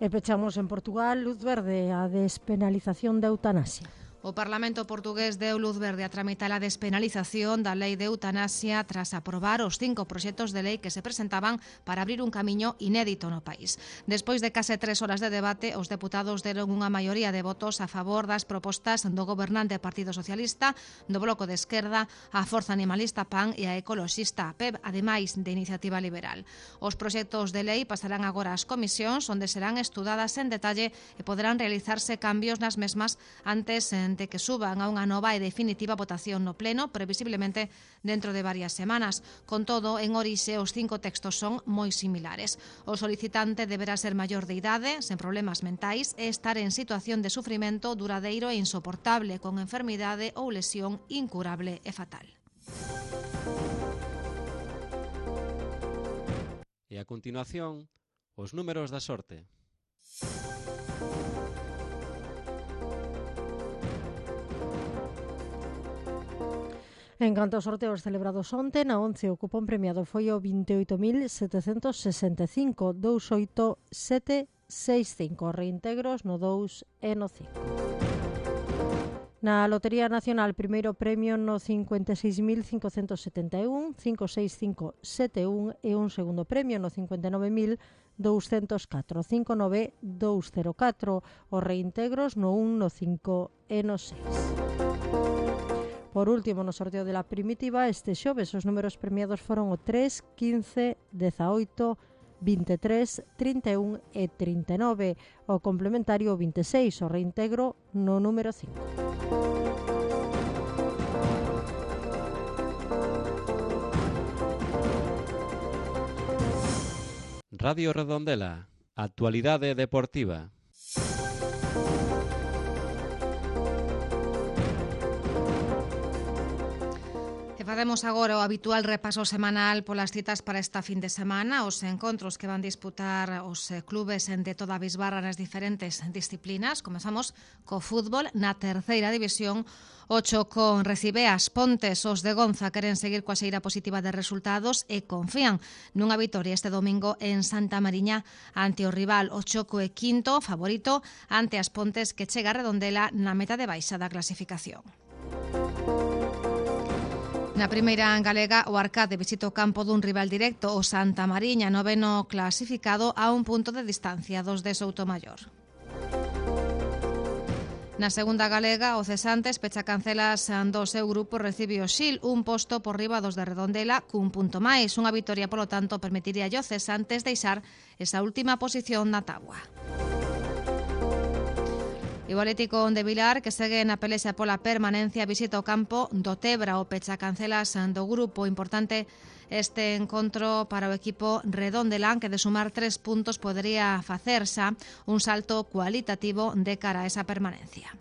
E pechamos en Portugal, luz verde a despenalización da eutanasia. O Parlamento portugués deu luz verde a tramitar a despenalización da lei de eutanasia tras aprobar os cinco proxectos de lei que se presentaban para abrir un camiño inédito no país. Despois de case tres horas de debate, os deputados deron unha maioría de votos a favor das propostas do gobernante Partido Socialista, do Bloco de Esquerda, a Forza Animalista P A N e a Ecoloxista P E B, ademais de Iniciativa Liberal. Os proxectos de lei pasarán agora ás comisións, onde serán estudadas en detalle e poderán realizarse cambios nas mesmas antes de que suban a unha nova e definitiva votación no Pleno, previsiblemente dentro de varias semanas. Con todo, en orixe, os cinco textos son moi similares. O solicitante deberá ser maior de idade, sen problemas mentais, e estar en situación de sufrimento duradeiro e insoportable, con enfermidade ou lesión incurable e fatal. E a continuación, os números da sorte. En canto aos sorteos celebrados onte, na once o cupón premiado foi o vinte e oito mil setecentos sesenta e cinco, vinte e oito mil setecentos sesenta e cinco, reintegros no dous e no cinco. Na Lotería Nacional, primeiro premio no cincuenta e seis mil cincocentos setenta e un, cinco seis cinco sete un e un segundo premio no cincuenta e nove mil douscentos catro, cinco nove dous cero catro, os reintegros no un, no cinco e no seis. Por último, no sorteo de la primitiva, este xoves os números premiados foron o tres, quince, dezaoito, vinte e tres, trinta e un e trinta e nove, o complementario vinte e seis, o reintegro no número cinco. Radio Redondela, actualidade deportiva. Facemos agora o habitual repaso semanal polas citas para esta fin de semana, os encontros que van disputar os clubes de toda a bisbarra nas diferentes disciplinas. Comezamos co fútbol na terceira división. O Chocón recibe as Pontes. Os de Gonza queren seguir coa xeira positiva de resultados e confían nunha vitoria este domingo en Santa Mariña ante o rival. O Choco é quinto favorito ante as Pontes, que chega a Redondela na meta de baixa da clasificación. Na primeira galega, o Arcade visita o campo dun rival directo, o Santa Mariña, noveno clasificado a un punto de distancia dos de Soutomaior. Na segunda galega, o Cesantes pecha cancelas do seu grupo, recibe o Xil, un posto por riba dos de Redondela cun punto máis. Unha vitoria, polo tanto, permitiría ao Cesantes deixar esa última posición na táboa. E o Atlético de Vilar, que segue na pelexa pola permanencia, visita o campo do Tebra, o pecha cancelas do grupo. Importante este encontro para o equipo redondelán, que de sumar tres puntos podería facer xa un salto cualitativo de cara a esa permanencia.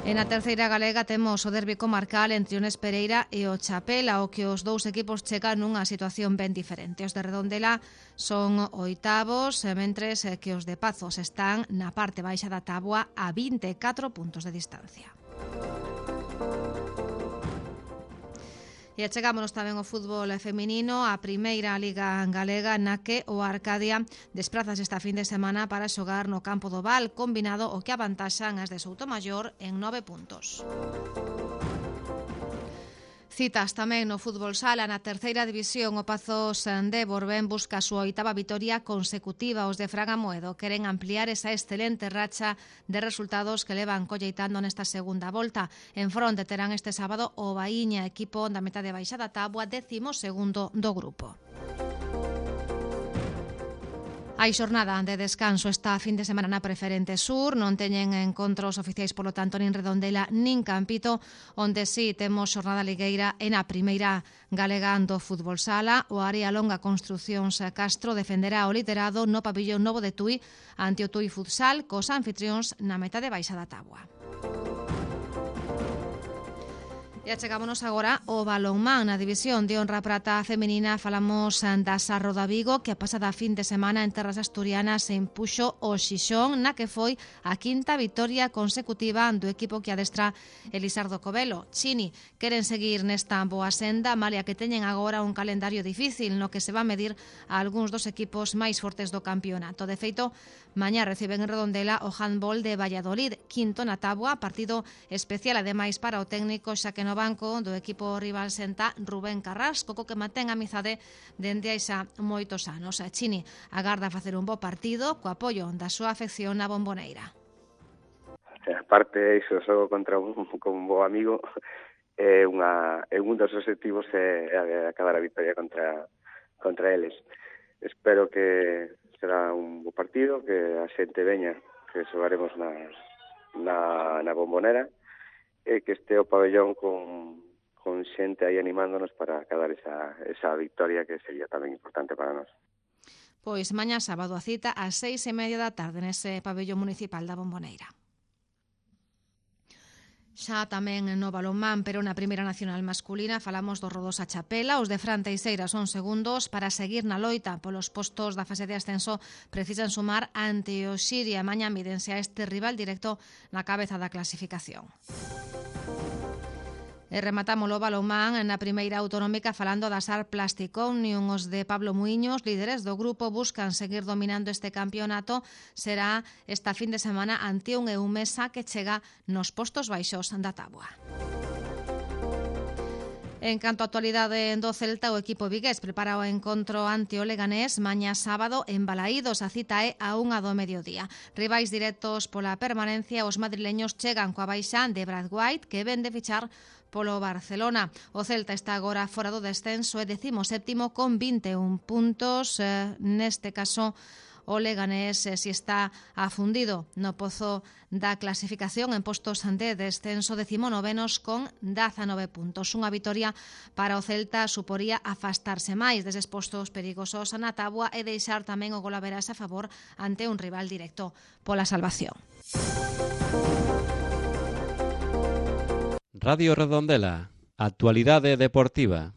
En a terceira galega temos o derbi comarcal entre o Nes Pereira e o Chapela, ao que os dous equipos chegan nunha situación ben diferente. Os de Redondela son oitavos, mentres que os de Pazos están na parte baixa da táboa a vinte e catro puntos de distancia. E achegámonos tamén ao fútbol feminino, a primeira liga galega, na que o Arcadia desprázase esta fin de semana para xogar no campo do Val, combinado o que avantaxan as de Soutomaior en nove puntos. Citas tamén no fútbol sala. Na terceira división, o Pazos de Borbén busca a súa oitava vitoria consecutiva. Os de Fraga Moedo queren ampliar esa excelente racha de resultados que levan colleitando nesta segunda volta. En fronte terán este sábado o Baíña, equipo da metade baixa da táboa, décimo segundo do grupo. Hai xornada de descanso esta fin de semana na Preferente Sur, non teñen encontros oficiais, polo tanto, nin Redondela nin Campito, onde sí temos xornada ligueira en a primeira galega do fútbol sala. O Área Longa Construcións Castro defenderá o liderado no pabillón novo de Tui ante o Tui Futsal, cos anfitrións na metade baixa da táboa. E achegámonos agora ao balonmán. Na división de honra prata femenina falamos da Sarro da Vigo, que a pasada fin de semana en terras asturianas se impuxo o Xixón, na que foi a quinta vitoria consecutiva do equipo que adestra Elisardo Covelo. Chini queren seguir nesta boa senda, malia que teñen agora un calendario difícil no que se va a medir a algúns dos equipos máis fortes do campeonato. De feito, mañá reciben en Redondela o handball de Valladolid, quinto na táboa, partido especial ademais para o técnico, xa que no banco do equipo rival senta Rubén Carrasco, co que mantén a amizade dende hai xa moitos anos. A Chini agarda facer un bo partido co apoio da súa afección na Bomboneira. Aparte iso, xogo contra un, con un bo amigo, é, unha, é un dos objetivos é acabar a victoria contra, contra eles. Espero que será un bo partido, que a xente veña, que xogaremos na, na, na Bombonera, e que este o pabellón con, con xente aí animándonos para acabar esa, esa victoria que sería tamén importante para nós. Pois mañá sábado a cita ás seis e media da tarde nese pabellón municipal da Bomboneira. Xa tamén no balonmán, pero na primeira nacional masculina falamos do Rodosa Chapela. Os de Fran Teixeira son segundos. Para seguir na loita polos postos da fase de ascenso precisan sumar ante o Xiria. Mañá mídense a este rival directo na cabeza da clasificación. E rematamos o balonmán na primeira autonómica falando da Sar Plastic Omnium. Os de Pablo Muiños, líderes do grupo, buscan seguir dominando este campeonato. Será esta fin de semana ante un Eumesa que chega nos postos baixos da táboa. En canto á actualidade do Celta, o equipo vigués prepara o encontro ante o Leganés mañá sábado en Balaídos. A cita é a unha do mediodía. Rivais directos pola permanencia, os madrileños chegan coa baixa de Brad White, que ven de fichar polo Barcelona. O Celta está agora fora do descenso e decimo séptimo con vinte e un puntos. Eh, neste caso, o Leganés eh, si está afundido no pozo da clasificación en postos de descenso, decimonovenos con dezanove puntos. Unha vitoria para o Celta suporía afastarse máis deses postos perigosos na táboa e deixar tamén o golaveras a favor ante un rival directo pola salvación. Radio Redondela, actualidade deportiva.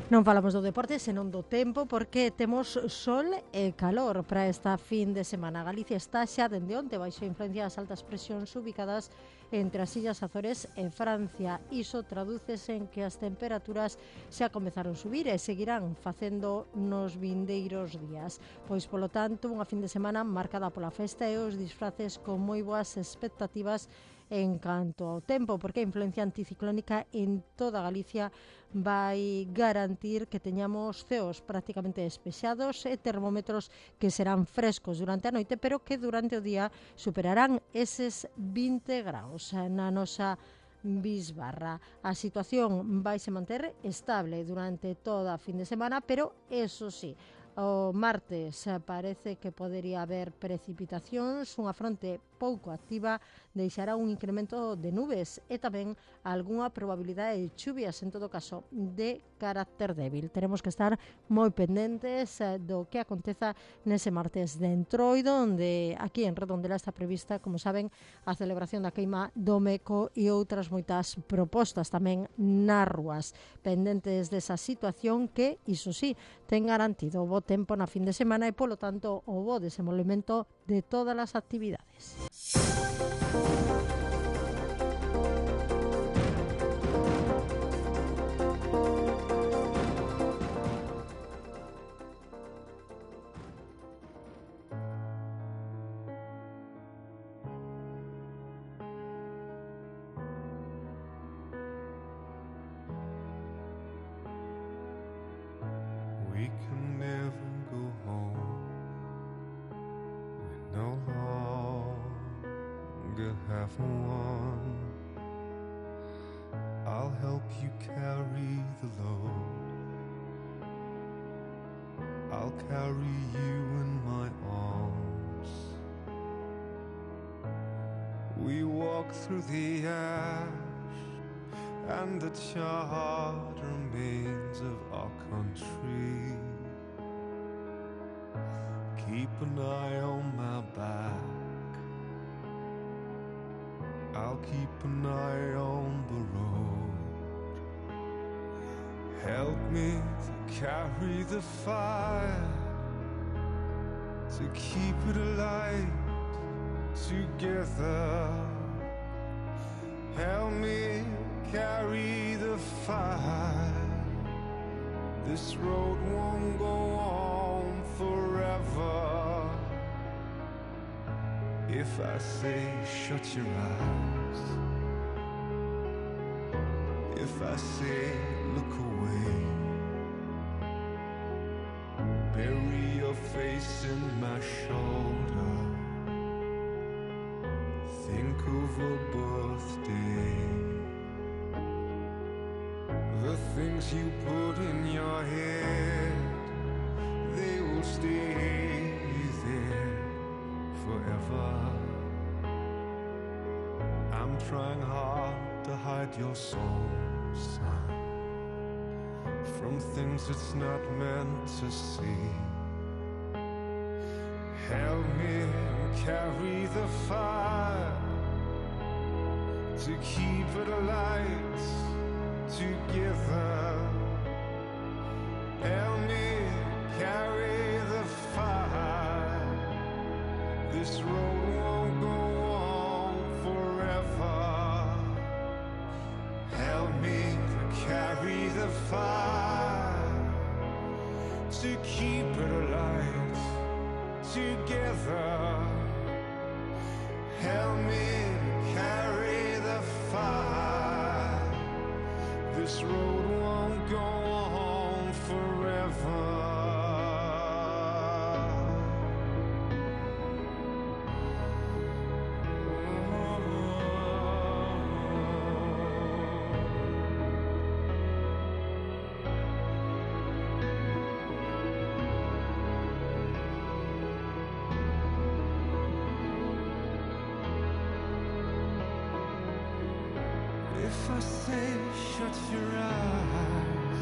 Non falamos do deporte, senón do tempo, porque temos sol e calor para esta fin de semana. Galicia está xa dende onte baixo a influencia das altas presións ubicadas entre as Illas Azores e Francia. Iso tradúcese en que as temperaturas xa comezaron a subir e seguirán facendo nos vindeiros días. Pois, polo tanto, unha fin de semana marcada pola festa e os disfraces con moi boas expectativas en canto ao tempo, porque a influencia anticiclónica en toda Galicia vai garantir que teñamos ceos prácticamente despexados e termómetros que serán frescos durante a noite, pero que durante o día superarán eses vinte graus na nosa bisbarra. A situación vai se manter estable durante toda a fin de semana, pero eso sí, o martes parece que podería haber precipitacións, unha fronte pouco activa deixará un incremento de nubes e tamén algunha probabilidade de chuvias, en todo caso de carácter débil. Teremos que estar moi pendentes do que aconteza nese martes de Entroido, onde aquí en Redondela está prevista, como saben, a celebración da queima do Meco e outras moitas propostas tamén nas rúas. Pendentes desa situación que, iso sí, ten garantido o bo tempo na fin de semana e, polo tanto, o bo desenvolvemento de todas as actividades. We can never go home. We no longer have one. I'll help you carry the load. I'll carry you in my arms. We walk through the ash and the charred remains of our country. Keep an eye on my back. I'll keep an eye on the road. Help me to carry the fire, to keep it alight together. Help me carry the fire. This road won't go on forever. If I say shut your eyes, if I say look away, bury your face in my shoulder, think of a birthday, the things you put in your head, they will stay there forever. I'm trying hard to hide your soul, son, from things it's not meant to see. Help me carry the fire, to keep it alight together. Help me carry the fire. This road won't go on forever. Help me to carry the fire, to keep it alight together. Help me carry the fire. This road won't go on forever. If I say shut your eyes,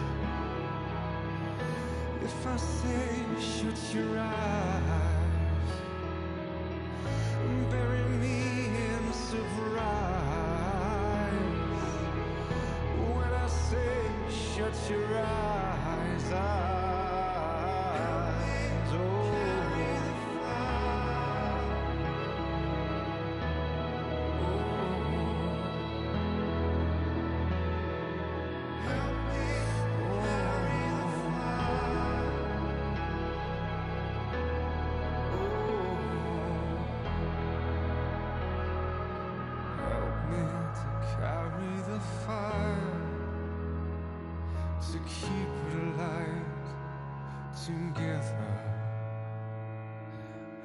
if I say shut your eyes, bury me in surprise. When I say shut your eyes, eyes, oh. Carry the fire, to keep it alight together.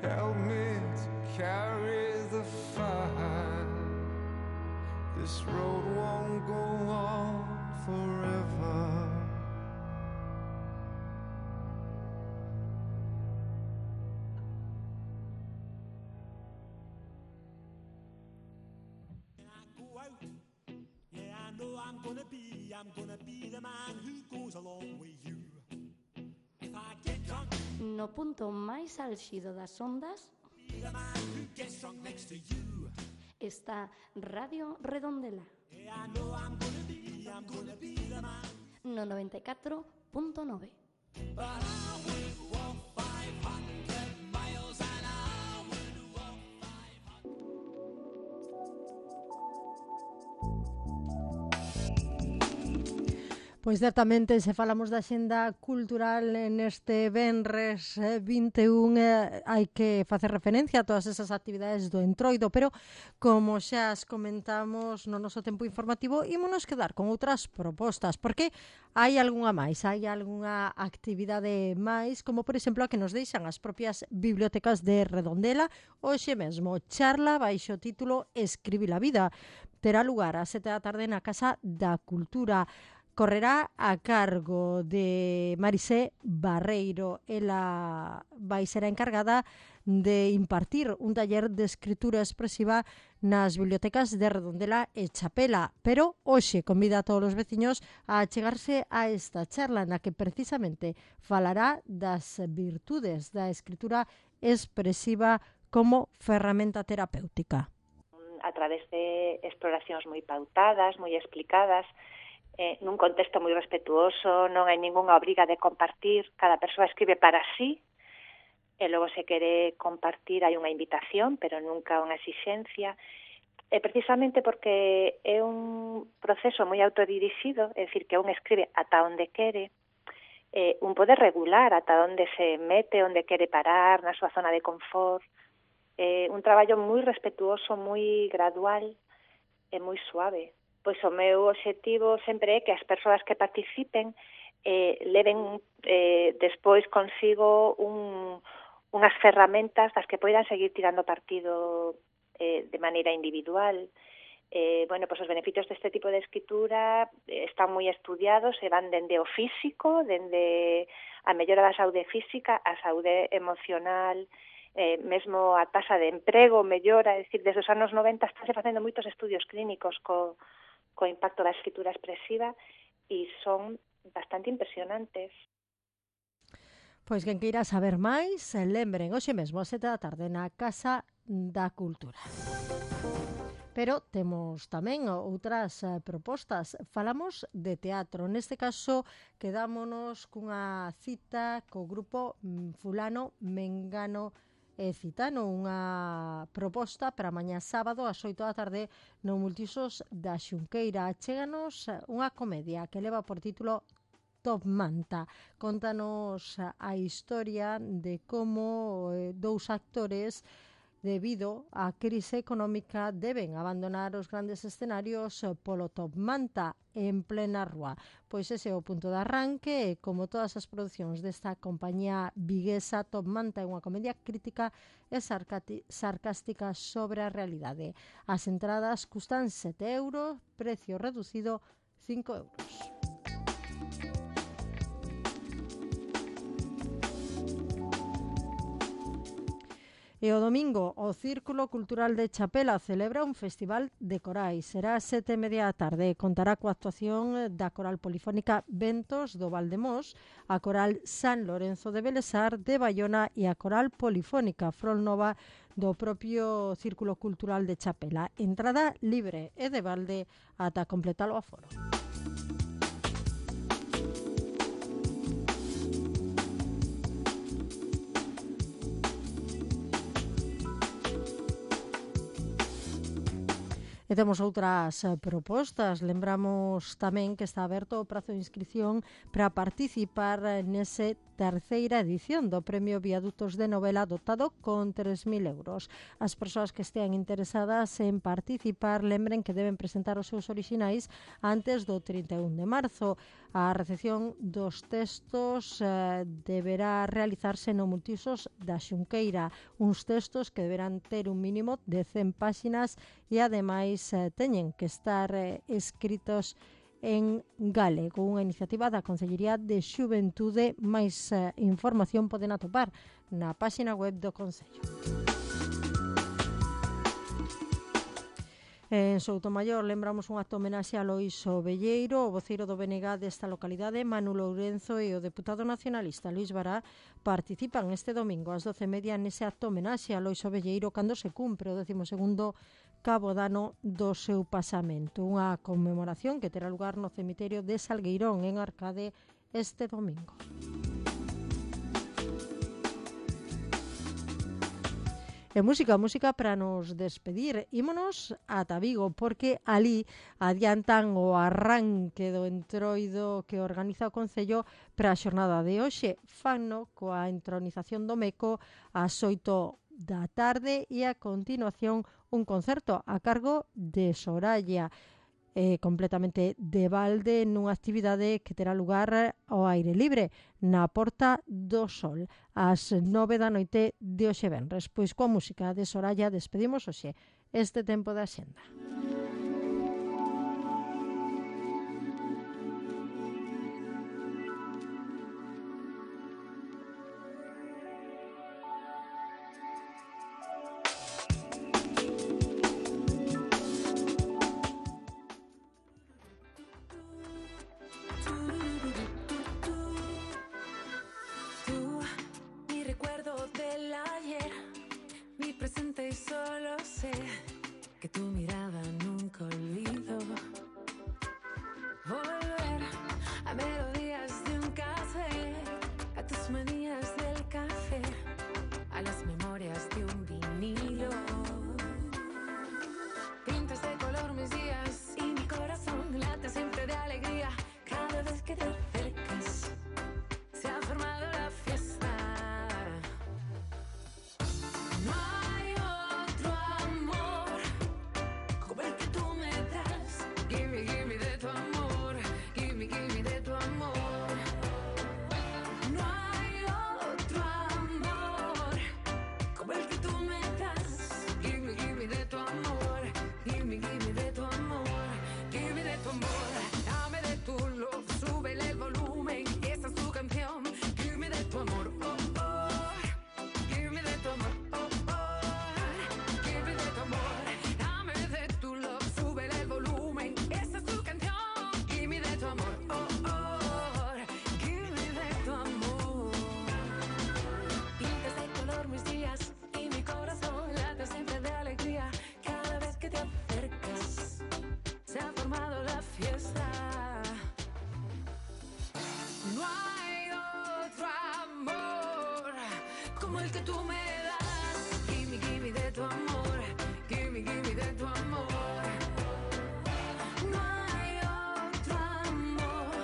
Help me to carry the fire. This road won't go on forever. I'm gonna be, I'm gonna be the man who goes along with you. If I get drunk, no punto máis álxido das ondas, be the man who gets drunk next to you. Está Radio Redondela. Yeah, I know I'm gonna be, I'm gonna be the man. No noventa y catro punto nove. But I would walk five hundred miles and I would walk five hundred. Pois certamente, se falamos da xenda cultural neste venres vinte e un, eh, hai que facer referencia a todas esas actividades do Entroido, pero como xa as comentamos no noso tempo informativo, ímonos quedar con outras propostas, porque hai algunha máis, hai algunha actividade máis, como por exemplo a que nos deixan as propias bibliotecas de Redondela. Hoxe mesmo, charla baixo o título Escribir a vida. Terá lugar a sete da tarde na Casa da Cultura. Correrá a cargo de Marisé Barreiro. Ela vai ser a encargada de impartir un taller de escritura expresiva nas bibliotecas de Redondela e Chapela, pero hoxe convida a todos os veciños a chegarse a esta charla na que precisamente falará das virtudes da escritura expresiva como ferramenta terapéutica. A través de exploracións moi pautadas, moi explicadas, eh, nun contexto moi respetuoso, non hai ningunha obriga de compartir, cada persoa escribe para sí, e logo se quere compartir hai unha invitación, pero nunca unha exixencia, e precisamente porque é un proceso moi autodirixido, é dicir, que un escribe ata onde quere, eh, un pode regular ata onde se mete, onde quere parar, na súa zona de confort, eh, un traballo moi respetuoso, moi gradual e moi suave. Pois o meu obxectivo sempre é que as persoas que participen eh, leven eh, despois consigo un, unhas ferramentas das que poidan seguir tirando partido eh, de maneira individual. Eh, bueno, pois os beneficios deste tipo de escritura eh, están moi estudiados e van dende o físico, dende a mellora da saúde física, a saúde emocional, eh, mesmo a taxa de emprego mellora, é dicir, desde os anos noventa estánse facendo moitos estudios clínicos co, co impacto da escritura expresiva e son bastante impresionantes. Pois quen queira saber máis, lembren hoxe mesmo a sete da tarde na Casa da Cultura. Pero temos tamén outras eh, propostas. Falamos de teatro. Neste caso, quedámonos cunha cita co grupo fulano, mengano e citano. Unha proposta para mañá sábado ás oito da tarde no Multiusos da Xunqueira. Chéganos unha comedia que leva por título Top Manta. Contanos a historia de como eh, dous actores debido á crise económica deben abandonar os grandes escenarios polo Top Manta en plena rúa. Pois ese é o punto de arranque e, como todas as producións desta compañía viguesa, Top Manta é unha comedia crítica e sarcástica sobre a realidade. As entradas custan sete euros, precio reducido cinco euros. E o domingo, o Círculo Cultural de Chapela celebra un festival de corais. Será a sete e media da tarde. Contará coa actuación da Coral Polifónica Ventos do Valdemós, a Coral San Lorenzo de Belesar de Baiona e a Coral Polifónica Frolnova do propio Círculo Cultural de Chapela. Entrada libre e de balde ata completar o aforo. E temos outras propostas. Lembramos tamén que está aberto o prazo de inscripción para participar nese terceira edición do Premio Viadutos de Novela dotado con tres mil euros. As persoas que estean interesadas en participar lembren que deben presentar os seus orixinais antes do trinta e un de marzo. A recepción dos textos eh, deberá realizarse no Multiusos da Xunqueira, uns textos que deberán ter un mínimo de cen páxinas e ademais eh, teñen que estar eh, escritos en galego, unha iniciativa da Consellería de Xuventude. Máis eh, información poden atopar na páxina web do Concello. En Soutomaior lembramos un acto homenaxe a Lois Ovelleiro, o voceiro do B N G desta localidade. Manu Lourenzo e o deputado nacionalista Luís Bará participan este domingo ás doce e media nese acto homenaxe a Lois Ovelleiro cando se cumpre o décimo segundo cabo dano do seu pasamento. Unha conmemoración que terá lugar no cemiterio de Salgueirón en Arcade este domingo. E música, música para nos despedir. Ímonos ata Vigo, porque ali adiantan o arranque do entroido que organiza o Concello para a xornada de hoxe. Fanno coa entronización do Meco ás oito da tarde e a continuación un concerto a cargo de Soraya, eh, completamente de balde, nunha actividade que terá lugar ao aire libre na Porta do Sol ás nove da noite de hoxe venres. Pois coa música de Soraya despedimos hoxe este tempo da Xenda. Solo sé que tu mirada el que tú me das. Gimme, gimme de tu amor, gimme, gimme de tu amor. No hay otro amor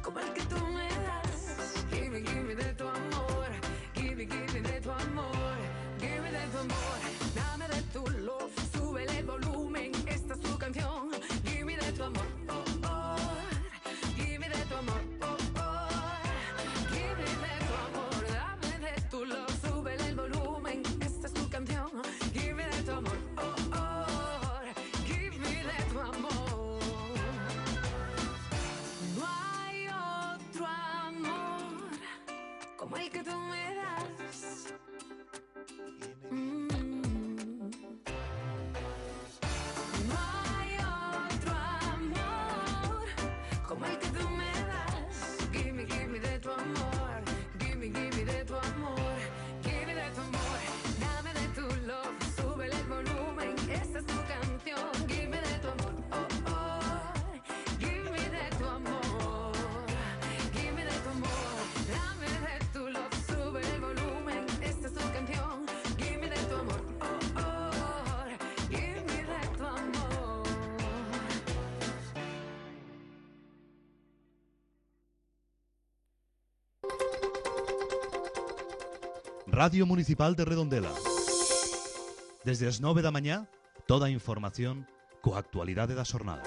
como el que tú me das. Gimme, gimme de tu amor, gimme, gimme de tu amor, gimme de tu amor. Dame de tu love, súbele el volumen, esta es tu canción. Gimme de tu amor, oh, oh. Gimme de tu amor, oh, oh. Gimme de tu amor, dame de tu love, súbele el volumen, esta es tu canción. Gimme de tu amor, oh, oh. Gimme de tu amor. No hay otro amor como el que tú me das. Mm. No hay otro amor como el que tú me das. Gimme, gimme de tu amor, gimme, gimme de tu amor, gimme de tu amor. Dame de tu love, súbele el volumen, esta es tu canción. Gimme de tu amor, oh, oh. Gimme de tu amor, gimme de tu amor. Dame de tu love, súbele el volumen, esta es tu canción. Gimme de tu amor, oh, oh. Gimme de tu amor. Radio Municipal de Redondela. Desde as nove da mañá, toda a información coa actualidade da xornada.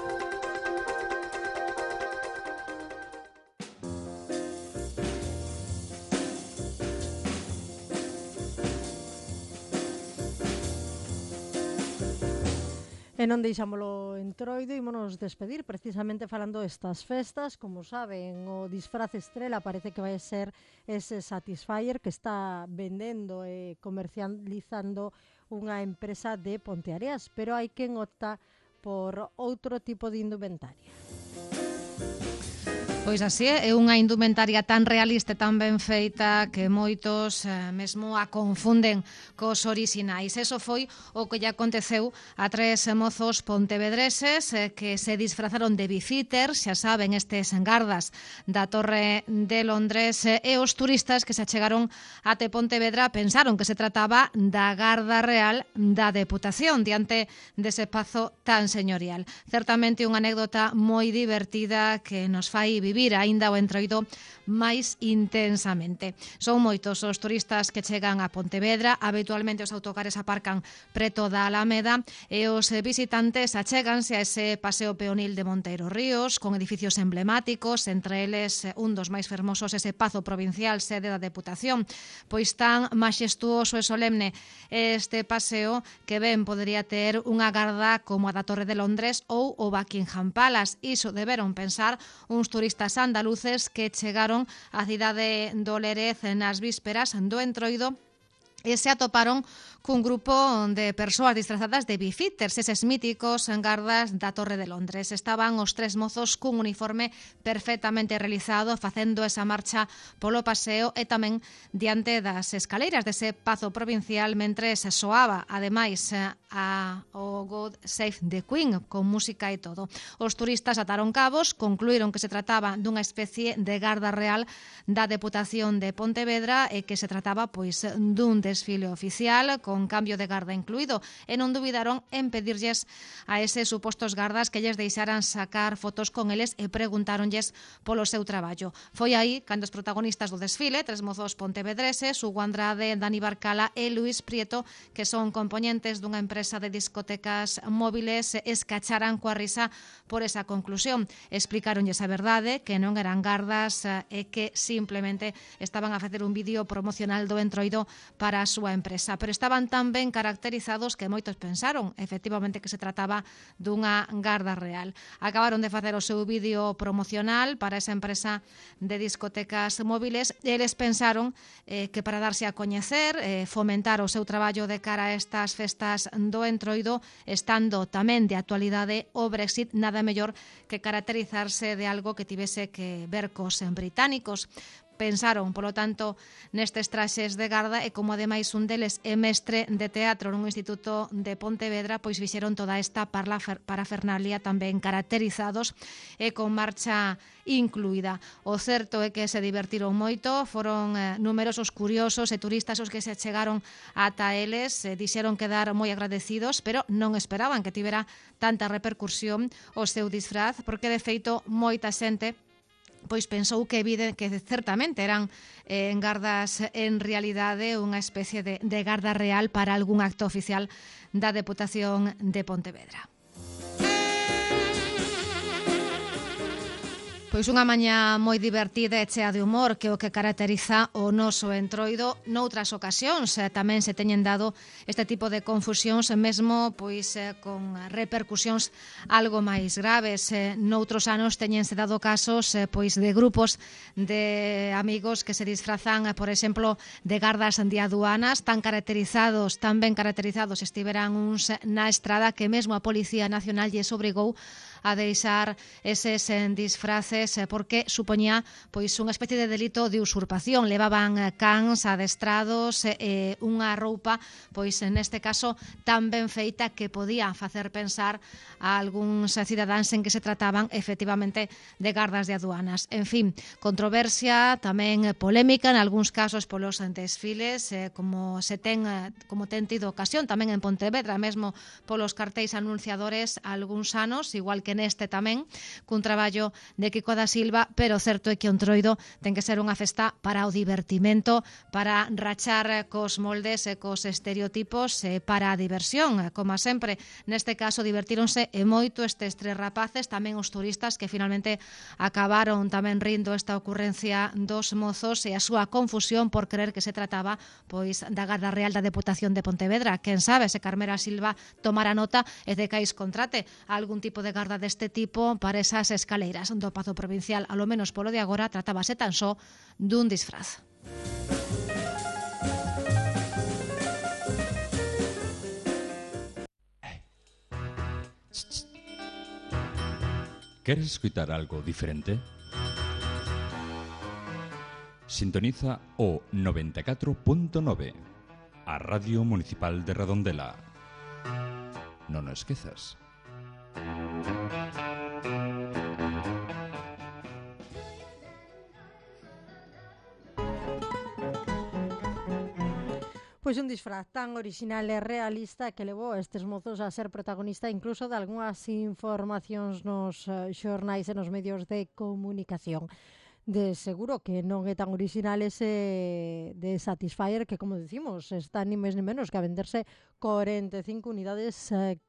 E non deixámolo entroido, ímonos despedir precisamente falando destas festas. Como saben, o disfraz estrela parece que vai ser ese Satisfyer que está vendendo e comercializando unha empresa de Ponteareas, pero hai quen opta por outro tipo de indumentaria. Pois así é unha indumentaria tan realista e tan ben feita que moitos eh, mesmo a confunden cos orixinais. Eso foi o que lle aconteceu a tres mozos pontevedreses eh, que se disfrazaron de bifiters, xa saben, estes gardas da Torre de Londres, eh, e os turistas que se achegaron ate Pontevedra pensaron que se trataba da Garda Real da Deputación diante dese pazo tan señorial. Certamente unha anécdota moi divertida que nos fai vivir aínda o entroido máis intensamente. Son moitos os turistas que chegan a Pontevedra, habitualmente os autocares aparcan preto da Alameda e os visitantes achéganse a ese paseo peonil de Monteiro Ríos con edificios emblemáticos, entre eles un dos máis fermosos, ese Pazo Provincial, sede da Deputación. Pois tan maxestuoso e solemne este paseo que ben podería ter unha garda como a da Torre de Londres ou o Buckingham Palace. Iso deberon pensar uns turistas andaluces que chegaron á cidade do Lérez nas vísperas do entroido e se atoparon cun grupo de persoas disfrazadas de bifiters, eses míticos gardas da Torre de Londres. Estaban os tres mozos cun uniforme perfectamente realizado, facendo esa marcha polo paseo e tamén diante das escaleiras dese Pazo Provincial, mentres soaba, ademais, a o God Save the Queen, con música e todo. Os turistas ataron cabos, concluíron que se trataba dunha especie de Garda Real da Deputación de Pontevedra e que se trataba, pois, dun desfile oficial con cambio de garda incluído, e non dubidaron en pedirlles a eses supostos gardas que lles deixaran sacar fotos con eles e preguntáronlles polo seu traballo. Foi aí cando os protagonistas do desfile, tres mozos pontevedreses, Hugo Andrade, Dani Barcala e Luis Prieto, que son componentes dunha empresa de discotecas móviles, escacharan coa risa por esa conclusión. Explicáronlles a verdade, que non eran gardas e que simplemente estaban a facer un vídeo promocional do entroido para a súa empresa, pero estaban tan ben caracterizados que moitos pensaron efectivamente que se trataba dunha garda real. Acabaron de facer o seu vídeo promocional para esa empresa de discotecas móviles e eles pensaron eh, que para darse a coñecer, eh, fomentar o seu traballo de cara a estas festas do entroido, estando tamén de actualidade o Brexit, nada mellor que caracterizarse de algo que tivese que ver cos británicos. pensaron, polo tanto, nestes traxes de garda e como ademais un deles é mestre de teatro nun instituto de Pontevedra, pois fixeron toda esta parafernalia tamén caracterizados e con marcha incluída. O certo é que se divertiron moito, foron eh, numerosos curiosos e turistas os que se chegaron ata eles, eh, dixeron quedar moi agradecidos, pero non esperaban que tivera tanta repercusión o seu disfraz, porque de feito moita xente pois pensou que evidente que certamente eran eh, gardas en realidade unha especie de, de garda real para algún acto oficial da Deputación de Pontevedra. Pois unha mañá moi divertida e chea de humor, que é o que caracteriza o noso entroido. Noutras ocasións eh, tamén se teñen dado este tipo de confusións, mesmo pois eh, con repercusións algo máis graves. Eh, noutros anos teñense dado casos eh, pois de grupos de amigos que se disfrazan, eh, por exemplo, de gardas de aduanas, tan caracterizados, tan ben caracterizados estiveran uns na estrada que mesmo a Policía Nacional lles obrigou a deixar eses disfraces porque supoñía pois unha especie de delito de usurpación. Levaban cans adestrados e unha roupa, pois neste caso tan ben feita que podía facer pensar a algúns cidadáns en que se trataban efectivamente de gardas de aduanas. En fin, controversia, tamén polémica en algúns casos polos desfiles, como se ten como ten tido ocasión tamén en Pontevedra, mesmo polos cartéis anunciadores algúns anos, igual que neste tamén, cun traballo de Kiko da Silva, pero certo é que o Entroido ten que ser unha festa para o divertimento, para rachar cos moldes e cos estereotipos e para a diversión, como sempre. Neste caso divertíronse e moito estes tres rapaces, tamén os turistas que finalmente acabaron tamén rindo esta ocurrencia dos mozos e a súa confusión por creer que se trataba pois da Garda Real da Deputación de Pontevedra. Quen sabe se Carmela Silva tomara nota e de cais contrate algún tipo de garda deste tipo para esas escaleiras do Pazo Provincial. A lo menos polo de agora tratábase tan só dun disfraz. ¿Queres escutar algo diferente? Sintoniza o noventa e catro punto nove, a Radio Municipal de Redondela. Non o esquezas. Pois un disfraz tan orixinal e realista que levou a estes mozos a ser protagonista incluso de algunhas informacións nos xornais e nos medios de comunicación. De seguro que non é tan orixinal ese de Satisfyer, que, como decimos, está ni máis ni menos que a venderse corenta e cinco unidades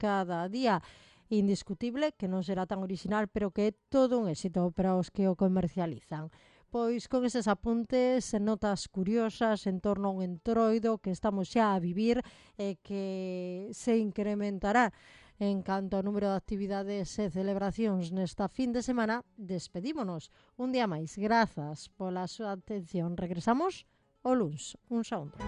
cada día. Indiscutible que non será tan orixinal, pero que é todo un éxito para os que o comercializan. Pois con eses apuntes, notas curiosas en torno a un entroido que estamos xa a vivir e que se incrementará en canto ao número de actividades e celebracións nesta fin de semana, despedímonos un día máis. Grazas pola súa atención. Regresamos o luns. Un saúdo.